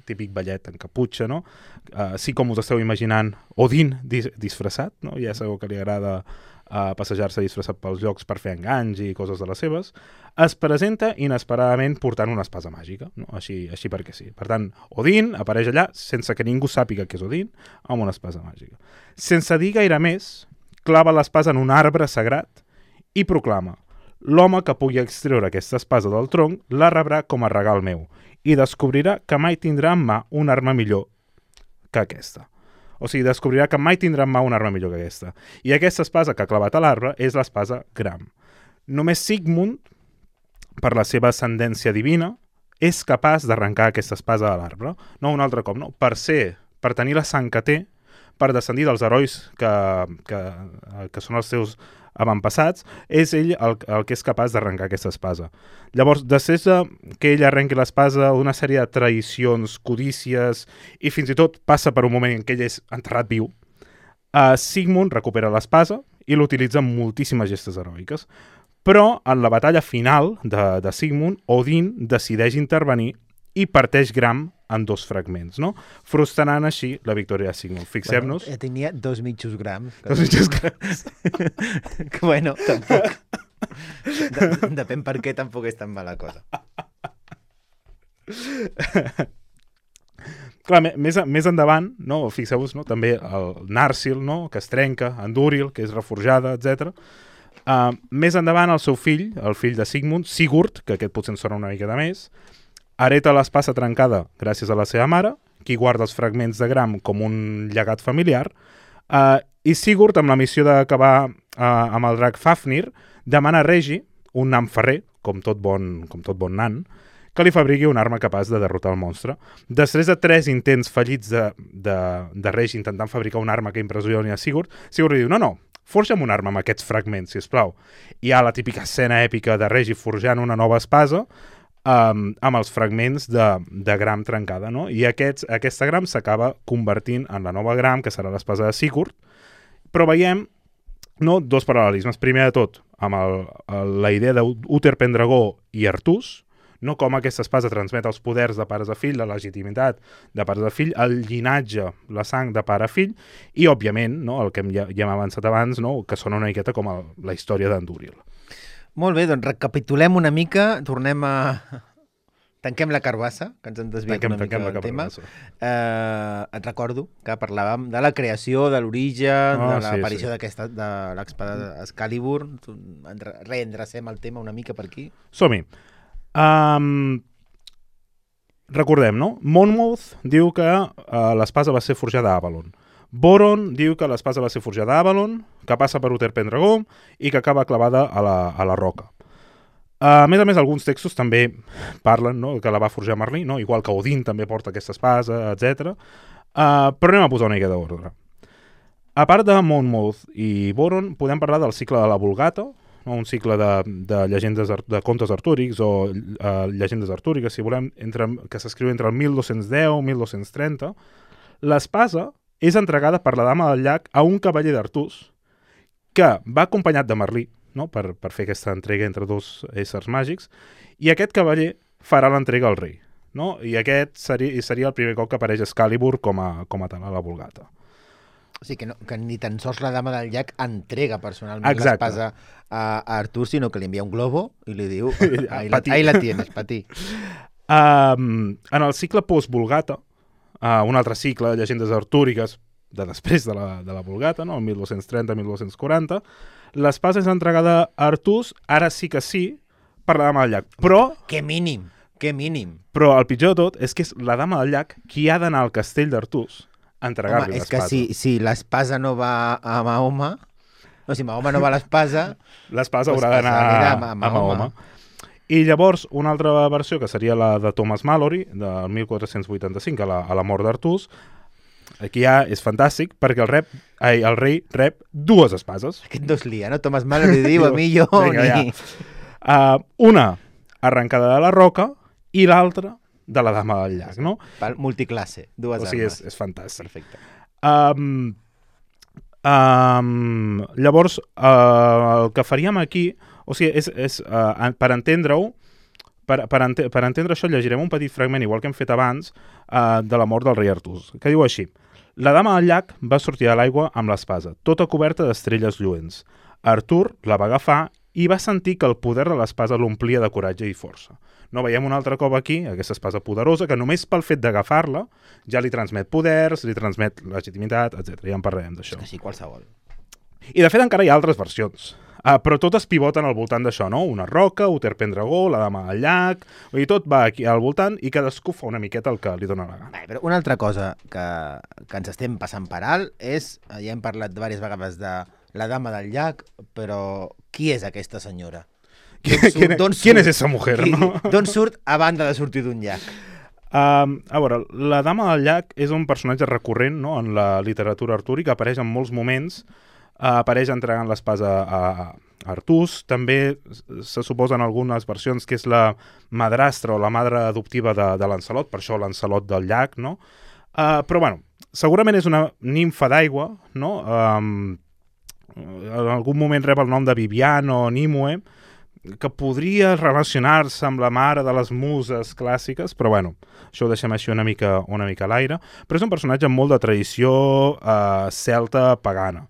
típic ballet en caputxa, no? Uh, sí, com us esteu imaginant, Odin dis disfressat, no? Ja sabeu que li agrada uh, passejar-se disfressat pels llocs per fer enganys i coses de les seves, es presenta inesperadament portant una espasa màgica, no? Així, així perquè sí. Per tant, Odin apareix allà sense que ningú sàpiga que és Odin, amb una espasa màgica. Sense dir gaire més, clava l'espasa en un arbre sagrat i proclama: l'home que pugui extreure aquesta espasa del tronc la rebrà com a regal meu i descobrirà que mai tindrà en mà una arma millor que aquesta. O sigui, descobrirà que mai tindrà en mà una arma millor que aquesta. I aquesta espasa que ha clavat a l'arbre és l'espasa Gram. Només Sigmund, per la seva ascendència divina, és capaç d'arrencar aquesta espasa a l'arbre. No un altre cop, no. Per ser, per tenir la sang que té, per descendir dels herois que, que, que són els seus avantpassats, és ell el, el que és capaç d'arrencar aquesta espasa. Llavors, després de que ell arrenqui l'espasa, una sèrie de traïcions, codícies, i fins i tot passa per un moment en què ell és enterrat viu, uh, Sigmund recupera l'espasa i l'utilitza en moltíssimes gestes heroiques. Però, en la batalla final de, de Sigmund, Odin decideix intervenir i parteix Gram en dos fragments, no? Frustrant així la victòria de Sigmund. Fixem-nos... Bueno, tenia dos mitjos grams. Dos mitjos grams. Que bueno, tampoc... De, depèn per què tampoc és tan mala cosa. Clar, més, més endavant, no? Fixeu-vos, no? També el Narsil, no? Que es trenca, Andúril, que és reforjada, etcètera. Uh, més endavant el seu fill, el fill de Sigmund, Sigurd, que aquest potser ens sona una mica de més, hereta l'espasa trencada gràcies a la seva mare, qui guarda els fragments de Gram com un llegat familiar, uh, i Sigurd, amb la missió d'acabar uh, amb el drac Fafnir, demana a Regi, un nan ferrer, com tot bon, com tot bon nan, que li fabriqui una arma capaç de derrotar el monstre. Després de tres intents fallits de, de, de Regi intentant fabricar una arma que impressioni a Sigurd, Sigurd li diu, no, no, forja'm una arma amb aquests fragments, sisplau. Hi ha la típica escena èpica de Regi forjant una nova espasa um, amb els fragments de, de Gram trencada, no? I aquests, aquesta Gram s'acaba convertint en la nova Gram, que serà l'espasa de Sigurd, però veiem no, dos paral·lelismes. Primer de tot, amb el, el, la idea d'Uther Pendragó i Artús, no com aquesta espasa transmet els poders de pares a fill, la legitimitat de pares a fill, el llinatge, la sang de pare a fill, i, òbviament, no, el que ja, ja hem avançat abans, no, que sona una miqueta com el, la història d'Andúril. Molt bé, doncs recapitulem una mica, tornem a, tanquem la carbassa, que ens en desviat Tanquem- una mica tanquem la del tema. carbassa. Eh, et recordo que parlàvem de la creació, de l'origen, Ah, de sí, l'aparició sí. d'aquesta de l'espada Excalibur. Enre- Reendrecem el tema una mica per aquí. Som-hi. Um, recordem, no? Monmouth diu que uh, l'espasa va ser forjada a Avalon. Boron diu que l'espasa va ser forjada a Avalon, que passa per Uther Pendragon i que acaba clavada a la, a la roca. Uh, a més a més, alguns textos també parlen, no?, que la va forjar Merlí, no? Igual que Odin també porta aquesta espasa, etcètera. Uh, però anem a posar una mica d'ordre. A part de Monmouth i Boron, podem parlar del cicle de la Vulgata, no? Un cicle de, de llegendes ar- de contes artúrics o uh, llegendes artúriques, si volem, entre, que s'escriu entre el mil dos-cents deu i mil dos-cents trenta. L'espasa és entregada per la Dama del Llac a un cavaller d'Artús que va acompanyat de Merlí, no? per, per fer aquesta entrega entre dos éssers màgics, i aquest cavaller farà l'entrega al rei. No? I aquest seria, seria el primer cop que apareix Excalibur com a, com a tal a la Vulgata. O sigui, que, no, que ni tan sols la Dama del Llac entrega personalment Exacte. l'espasa a, a Artur, sinó que li envia un globo i li diu, ahí la, Patí. ahí la tienes, patí. Um, en el cicle post-Vulgata, uh, un altre cicle de llegendes artúriques de després de la, de la Vulgata, no? el mil dos-cents trenta a mil dos-cents quaranta, l'espasa és entregada a Artús, ara sí que sí, per la Dama del Llac. Però, Que mínim, que mínim. però el pitjor de tot és que és la Dama del Llac qui ha d'anar al castell d'Artús a entregar-li Home, és que l'espasa. si, si l'espasa no va a Mahoma, no, si Mahoma no va a l'espasa, L'espasa Pues haurà d'anar passarà a, a a Mahoma. Mahoma. I llavors, una altra versió, que seria la de Thomas Malory, del mil quatre-cents vuitanta-cinc, a la, a la mort d'Artús, aquí ja és fantàstic, perquè el, rep, ai, el rei rep dues espases. aquest no es lia, no? Thomas Mallory diu, a mi jo, Vinga, ni... ja. Uh, una arrencada de la roca i l'altra de la Dama del Llac, no? Pal- Multiclasse, dues O sigui, és, armes. és fantàstic. Perfecte. Um, um, llavors, uh, el que faríem aquí, o sigui, és, és uh, per entendre-ho, per, per, ente per entendre això llegirem un petit fragment, igual que hem fet abans, uh, de la mort del rei Artús, que diu així: la Dama del Llac va sortir a l'aigua amb l'espasa, tota coberta d'estrelles lluents. Artur la va agafar i va sentir que el poder de l'espasa l'omplia de coratge i força. No, veiem un altre cop aquí, aquesta espasa poderosa, que només pel fet d'agafar-la ja li transmet poders, li transmet legitimitat, etcètera. Ja en parlarem d'això. Que sí, qualsevol. I de fet encara hi ha altres versions, uh, però totes pivoten al voltant d'això, no? Una roca, Uther Pendragon, la Dama del Llac, vull dir, tot va aquí al voltant i cadascú fa una miqueta el que li dóna la gana. Vale, però una altra cosa que, que ens estem passant per alt és, ja hem parlat diverses vegades de la Dama del Llac, però qui és aquesta senyora? Qui- D'on surt- quién- d'on quién surt? es esa mujer, Qui- no? D'on surt a banda de sortir d'un llac? Um, a veure, la Dama del Llac és un personatge recurrent, no?, en la literatura artúrica, apareix en molts moments, uh, apareix entregant l'espasa a, a Artús, també se suposa en algunes versions que és la madrastra o la madre adoptiva de, de Lancelot, per això Lancelot del Llac, no? Uh, però, bueno, segurament és una nimfa d'aigua, no? Um, en algun moment rep el nom de Viviana o Nimue, que podria relacionar-se amb la mare de les muses clàssiques, però bueno, això ho deixem així una mica, una mica a l'aire. Però és un personatge amb molt de tradició eh, celta pagana.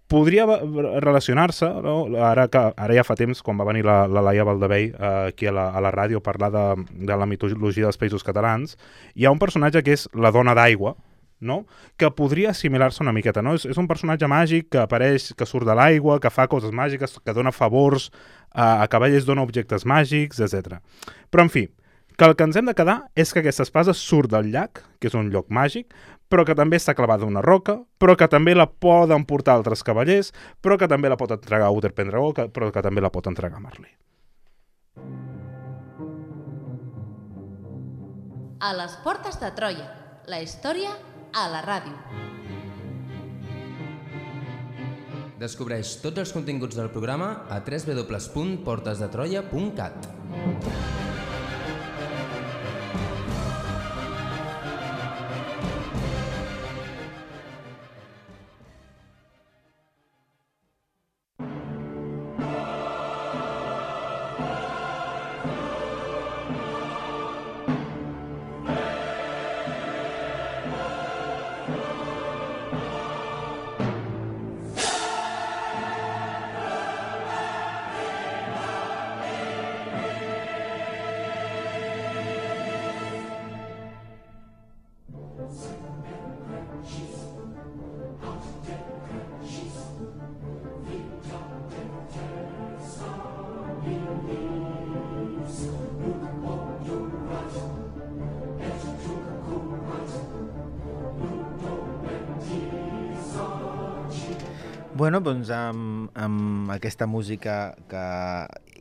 Podria relacionar-se, no? ara, que, ara ja fa temps, quan va venir la, la Laia Valdevell eh, aquí a la, a la ràdio a parlar de, de la mitologia dels països catalans, hi ha un personatge que és la dona d'aigua, no? Que podria assimilar-se una miqueta, no? És, és un personatge màgic que apareix, que surt de l'aigua, que fa coses màgiques, que dona favors a, a cavallers, dona objectes màgics, etcètera. Però, en fi, que el que ens hem de quedar és que aquesta espasa surt del llac, que és un lloc màgic, però que també està clavada a una roca, però que també la poden portar altres cavallers, però que també la pot entregar a Uther Pendragon, que, però que també la pot entregar a Merlí. A les portes de Troia, la història a la ràdio. Descobreix tots els continguts del programa a w w w punt portes de troia punt cat. Bueno, doncs amb, amb aquesta música que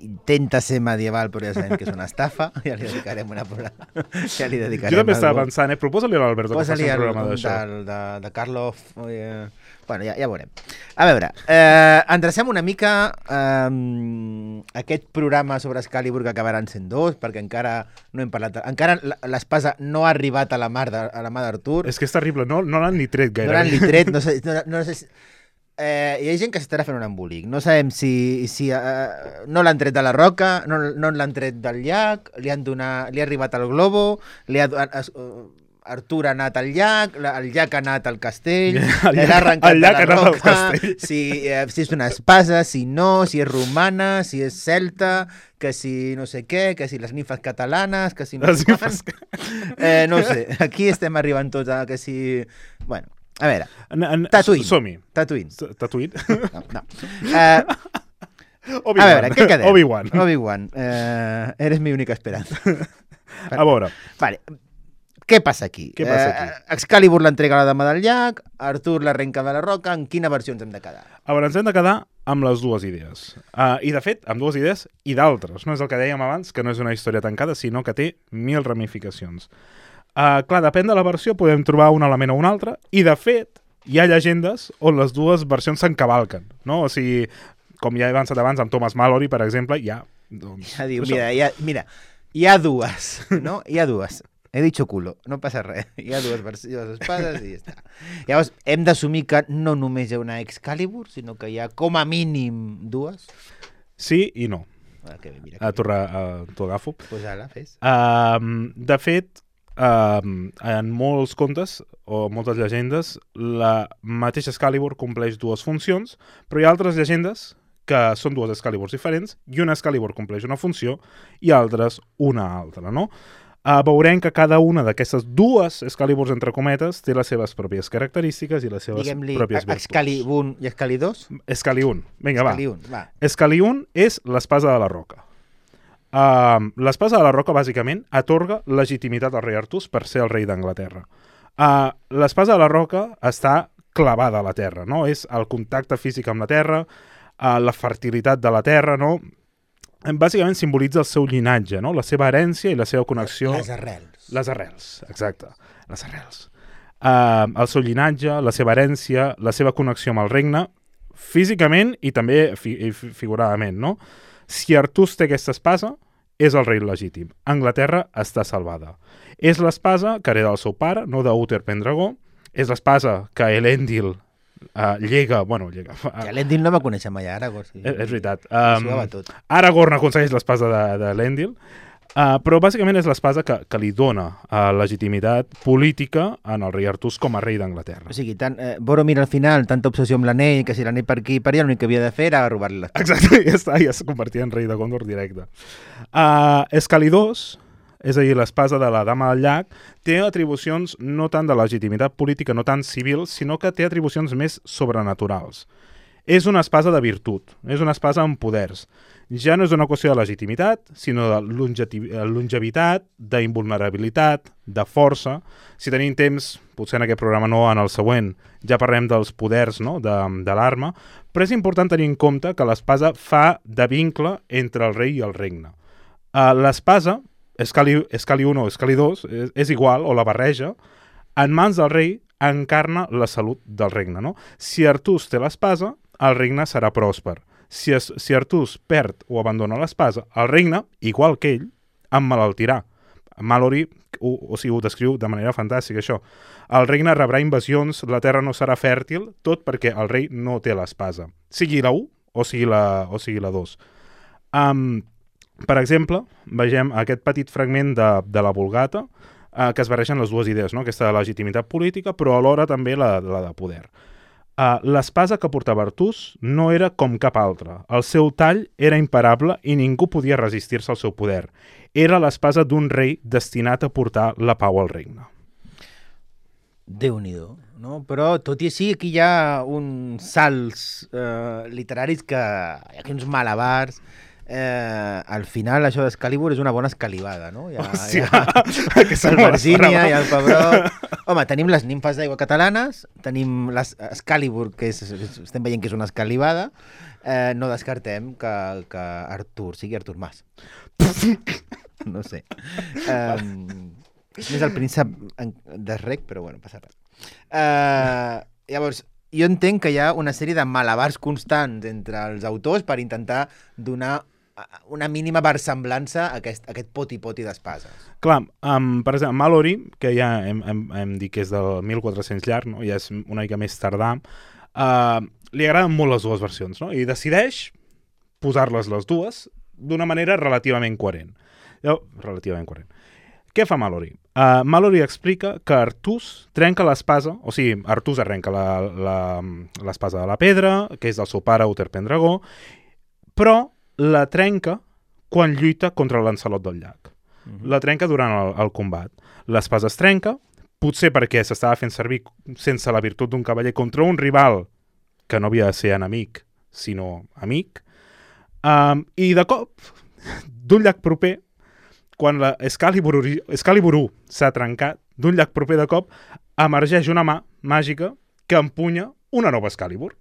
intenta ser medieval, però ja sabem que és una estafa, ja li dedicarem una programa. Ja li dedicarem jo també estava algú. pensant, eh? Proposa-li a l'Alberto que faci Posa-li un el programa d'això. de, de, de Karloff. Eh, bueno, ja, ja veurem. A veure, eh, endrecem una mica eh, aquest programa sobre Excalibur que acabaran sent dos, perquè encara no hem parlat... Encara l'espasa no ha arribat a la mar de, a la mà d'Artur. És que és terrible, no, no l'han ni tret gaire. No l'han ni tret, no sé... No, no sé si... Eh, hi ha gent que s'estarà fent un embolic. No sabem si, si eh, no l'han tret de la roca, no, no l'han tret del llac, li han donat, li ha arribat el globo, li ha, uh, Artur ha anat al llac, la, el llac ha anat al castell, el l'ha arrencat el llac de la ha anat al roca, castell. si, eh, si és una espasa, si no, si és romana, si és celta, que si no sé què, que si les nimfes catalanes, que si no Les sé nimfes... eh, no ho sé, aquí estem arribant tots a que si... Bueno, a veure, En, en, Tatooine. Som-hi. Tatooine. Tatooine? No, no. Uh, a veure, què quedem? Obi-Wan. Obi-Wan. Uh, eres mi única esperanza. A veure. Vale. Què passa aquí? Què passa aquí? Uh, Excalibur l'entrega a la dama del llac, Artur l'arrenca de la roca, en quina versió ens hem de quedar? A veure, ens hem de quedar amb les dues idees. Uh, I, de fet, amb dues idees i d'altres. No és el que dèiem abans, que no és una història tancada, sinó que té mil ramificacions. Uh, clar, depèn de la versió, podem trobar un element o un altre, i de fet, hi ha llegendes on les dues versions s'encavalquen, no? O sigui, com ja he avançat abans, amb Thomas Mallory, per exemple, hi ha... Doncs, Ja diu, mira, hi ha, mira, hi ha dues, no? Hi ha dues. He dicho culo, no passa res. Hi ha dues versions d'espades i ja està. Llavors, hem d'assumir que no només hi ha una Excalibur, sinó que hi ha com a mínim dues. Sí i no. Ah, que bé, mira, A que t'ho uh, agafo. pues ala, fes. Uh, de fet, uh, en molts contes o moltes llegendes, la mateixa Excalibur compleix dues funcions, però hi ha altres llegendes que són dues Excaliburs diferents i una Excalibur compleix una funció i altres una altra, no? Uh, veurem que cada una d'aquestes dues Excaliburs, entre cometes, té les seves pròpies característiques i les seves Diguem-li pròpies virtuts. Excalibur i Excalidós? Excaliun. Vinga, va. Excaliun, va. Excaliun és l'espasa de la roca. Uh, l'espasa de la roca, bàsicament, atorga legitimitat al rei Artús per ser el rei d'Anglaterra. Uh, l'espasa de la roca està clavada a la terra, no? És el contacte físic amb la terra, uh, la fertilitat de la terra, no? Bàsicament simbolitza el seu llinatge, no? La seva herència i la seva connexió... Les arrels. Les arrels, exacte. Les arrels. Uh, el seu llinatge, la seva herència, la seva connexió amb el regne, físicament i també fi fi figuradament, no? Si Artús té aquesta espasa, és el rei legítim. Anglaterra està salvada. És l'espasa que hereda el seu pare, no d'Uther Pendragó, és l'espasa que Elendil uh, llega... Bueno, llega... Uh, Ja l'Endil no va conèixer mai a Aragorn. Sí. és, és veritat. Um, Um, Aragorn aconsegueix l'espasa de, de l'Endil, uh, però bàsicament és l'espasa que, que li dona uh, legitimitat política en el rei Artús com a rei d'Anglaterra. O sigui, tant, eh, Boromir al final, tanta obsessió amb l'anell, que si l'anell per aquí i per allà, l'únic que havia de fer era robar-li l'espasa. Exacte, ja està, ja es convertia en rei de Gondor directe. Uh, Excalidós, és a dir, l'espasa de la Dama del Llac, té atribucions no tant de legitimitat política, no tant civil, sinó que té atribucions més sobrenaturals. És una espasa de virtut, és una espasa amb poders. Ja no és una qüestió de legitimitat, sinó de longevitat, d'invulnerabilitat, de força. Si tenim temps, potser en aquest programa no, en el següent, ja parlem dels poders, no?, de, de l'arma, però és important tenir en compte que l'espasa fa de vincle entre el rei i el regne. Uh, l'espasa, Escali, Escali un o Escali dos, és, és igual, o la barreja, en mans del rei encarna la salut del regne, no? Si Artús té l'espasa, el regne serà pròsper. Si, es, si Artús perd o abandona l'espasa, el regne, igual que ell, emmalaltirà. Mallory ho, o sigui, ho descriu de manera fantàstica, això. El regne rebrà invasions, la terra no serà fèrtil, tot perquè el rei no té l'espasa. Sigui la u o sigui la, o sigui la dos. Um, per exemple, vegem aquest petit fragment de, de la Vulgata, eh, que es barregen les dues idees, no? Aquesta de legitimitat política, però alhora també la, la de poder. Uh, l'espasa que portava Artús no era com cap altra. El seu tall era imparable i ningú podia resistir-se al seu poder. Era l'espasa d'un rei destinat a portar la pau al regne. Déu-n'hi-do, no? Però tot i així aquí hi ha uns salts eh, literaris que hi ha aquí uns malabars eh, al final això d'Excalibur és una bona escalivada, no? Hi ha, Hòstia, hi ha aquesta el no me Virgínia, l'esperava. hi ha el Pebrot... Home, tenim les nimfes d'aigua catalanes, tenim l'Excalibur, que és, estem veient que és una escalivada, eh, no descartem que, que Artur sigui Artur Mas. No sé. Um, és el príncep de rec, però bueno, passa res. Uh, llavors, jo entenc que hi ha una sèrie de malabars constants entre els autors per intentar donar una mínima versemblança a aquest, a aquest poti-poti d'espases. Clar, um, per exemple, Mallory, que ja hem, hem, hem dit que és del mil quatre-cents llarg, no? Ja és una mica més tardà, uh, li agraden molt les dues versions, no? I decideix posar-les les dues d'una manera relativament coherent. Jo, relativament coherent. Què fa Mallory? Uh, Mallory explica que Artús trenca l'espasa, o sigui, Artús arrenca l'espasa de la pedra, que és del seu pare, Uther Pendragó, però la trenca quan lluita contra el Lancelot del llac. Uh-huh. La trenca durant el, el combat. L'espasa es trenca, potser perquè s'estava fent servir sense la virtut d'un cavaller contra un rival que no havia de ser enemic, sinó amic, um, i de cop, d'un llac proper, quan la Excalibur, Excalibur u s'ha trencat, d'un llac proper de cop, emergeix una mà màgica que empunya una nova Excalibur.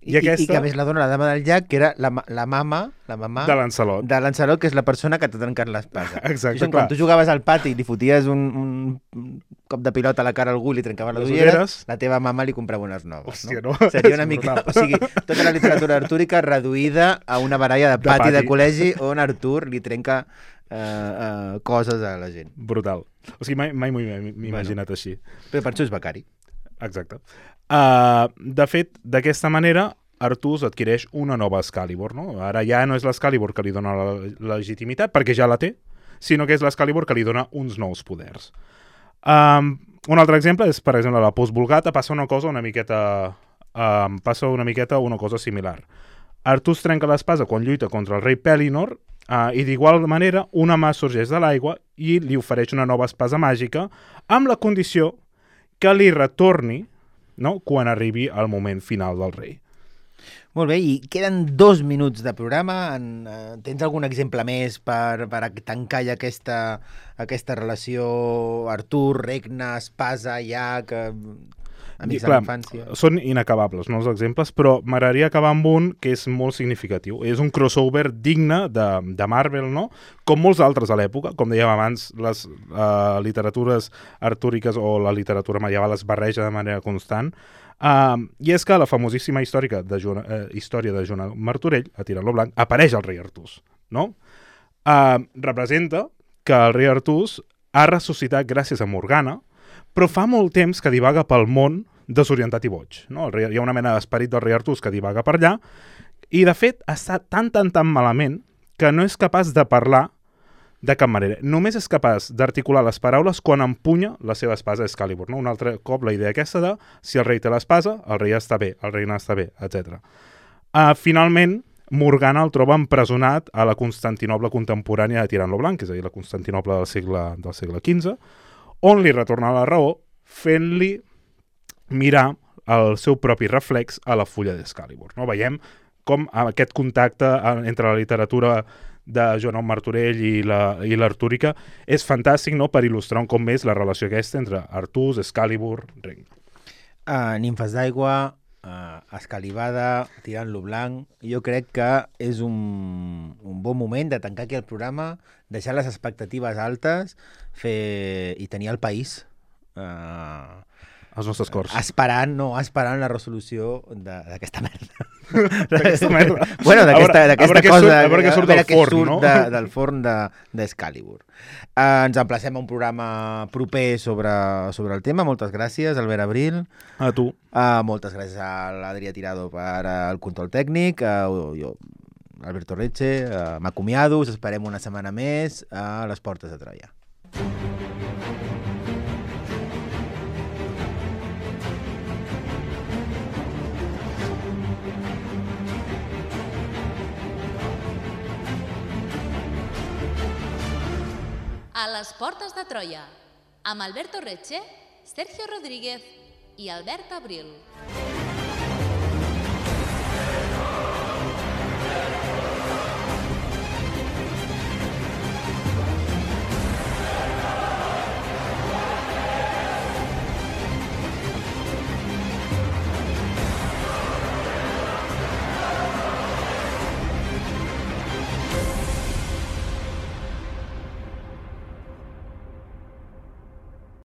I, I, aquesta... I que a més la dona la dama del llac, que era la, la mama, la mamà de Lancelot. De Lancelot, que és la persona que t'ha trencat l'espasa. Exacte, Això, clar. quan tu jugaves al pati i li foties un, un cop de pilota a la cara a algú i li trencaven les, les ulleres, ulleres, la teva mama li comprava unes noves. Hòstia, no? no? Seria una mica... O sigui, tota la literatura artúrica reduïda a una baralla de pati de, pati. de col·legi on Artur li trenca uh, uh, coses a la gent. Brutal. O sigui, mai, mai m'ho he imaginat bueno, així. Però per això és becari. Exacte. Uh, de fet, d'aquesta manera, Artús adquireix una nova Excalibur, no? Ara ja no és l'Excalibur que li dona la, la legitimitat, perquè ja la té, sinó que és l'Excalibur que li dona uns nous poders. Um, un altre exemple és, per exemple, la Post-Vulgata passa una cosa una miqueta... Um, passa una miqueta una cosa similar. Artús trenca l'espasa quan lluita contra el rei Pellinor uh, i d'igual manera una mà sorgeix de l'aigua i li ofereix una nova espasa màgica amb la condició que li retorni, no?, quan arribi el moment final del rei. Molt bé, i queden dos minuts de programa. En, uh, tens algun exemple més per, per tancar ja aquesta, aquesta relació Artur, regne, espasa, llac, amics de la infància? Són inacabables, no, els exemples, però m'agradaria acabar amb un que és molt significatiu. És un crossover digne de, de Marvel, no? Com molts altres a l'època, com dèiem abans, les uh, literatures artúriques o la literatura medieval es barreja de manera constant. Uh, I és que la famosíssima històrica de Joan, uh, història de Joan Martorell, a Tirant-lo Blanc, apareix el rei Artús, no? Uh, representa que el rei Artús ha ressuscitat gràcies a Morgana, però fa molt temps que divaga pel món desorientat i boig, no? El rei, hi ha una mena d'esperit del rei Artús que divaga per allà, i de fet està tan, tan, tan malament que no és capaç de parlar de cap manera. Només és capaç d'articular les paraules quan empunya la seva espasa Excalibur, no? Un altre cop la idea aquesta de si el rei té l'espasa, el rei està bé, el reina està bé, etcètera. Uh, finalment, Morgana el troba empresonat a la Constantinoble contemporània de Tirant-lo Blanc, és a dir, la Constantinoble del segle, del segle quinze, on li retorna la raó fent-li mirar el seu propi reflex a la fulla d'Excalibur. No? Veiem com aquest contacte entre la literatura de Joan Martorell i l'Artúrica és fantàstic, no?, per il·lustrar un cop més la relació aquesta entre Artús, Excalibur, regne. Uh, nimfes d'aigua, uh, escalivada, Tirant-lo Blanc. Jo crec que és un, un bon moment de tancar aquí el programa, deixar les expectatives altes, fer i tenir el país uh, als nostres cors. Esperant, no, esperant la resolució d'aquesta merda. D'aquesta merda. Bueno, d'aquesta cosa... A veure què surt del forn, no? De, del forn d'Excalibur. De, uh, ens emplacem a un programa proper sobre, sobre el tema. Moltes gràcies, Albert Abril. A tu. Uh, moltes gràcies a l'Adrià Tirado per el control tècnic. Uh, jo, Alberto Reche, uh, m'acomiado. Us esperem una setmana més a les Portes de Troia. A les Portes de Troia, amb Alberto Reche, Sergio Rodríguez i Albert Abril.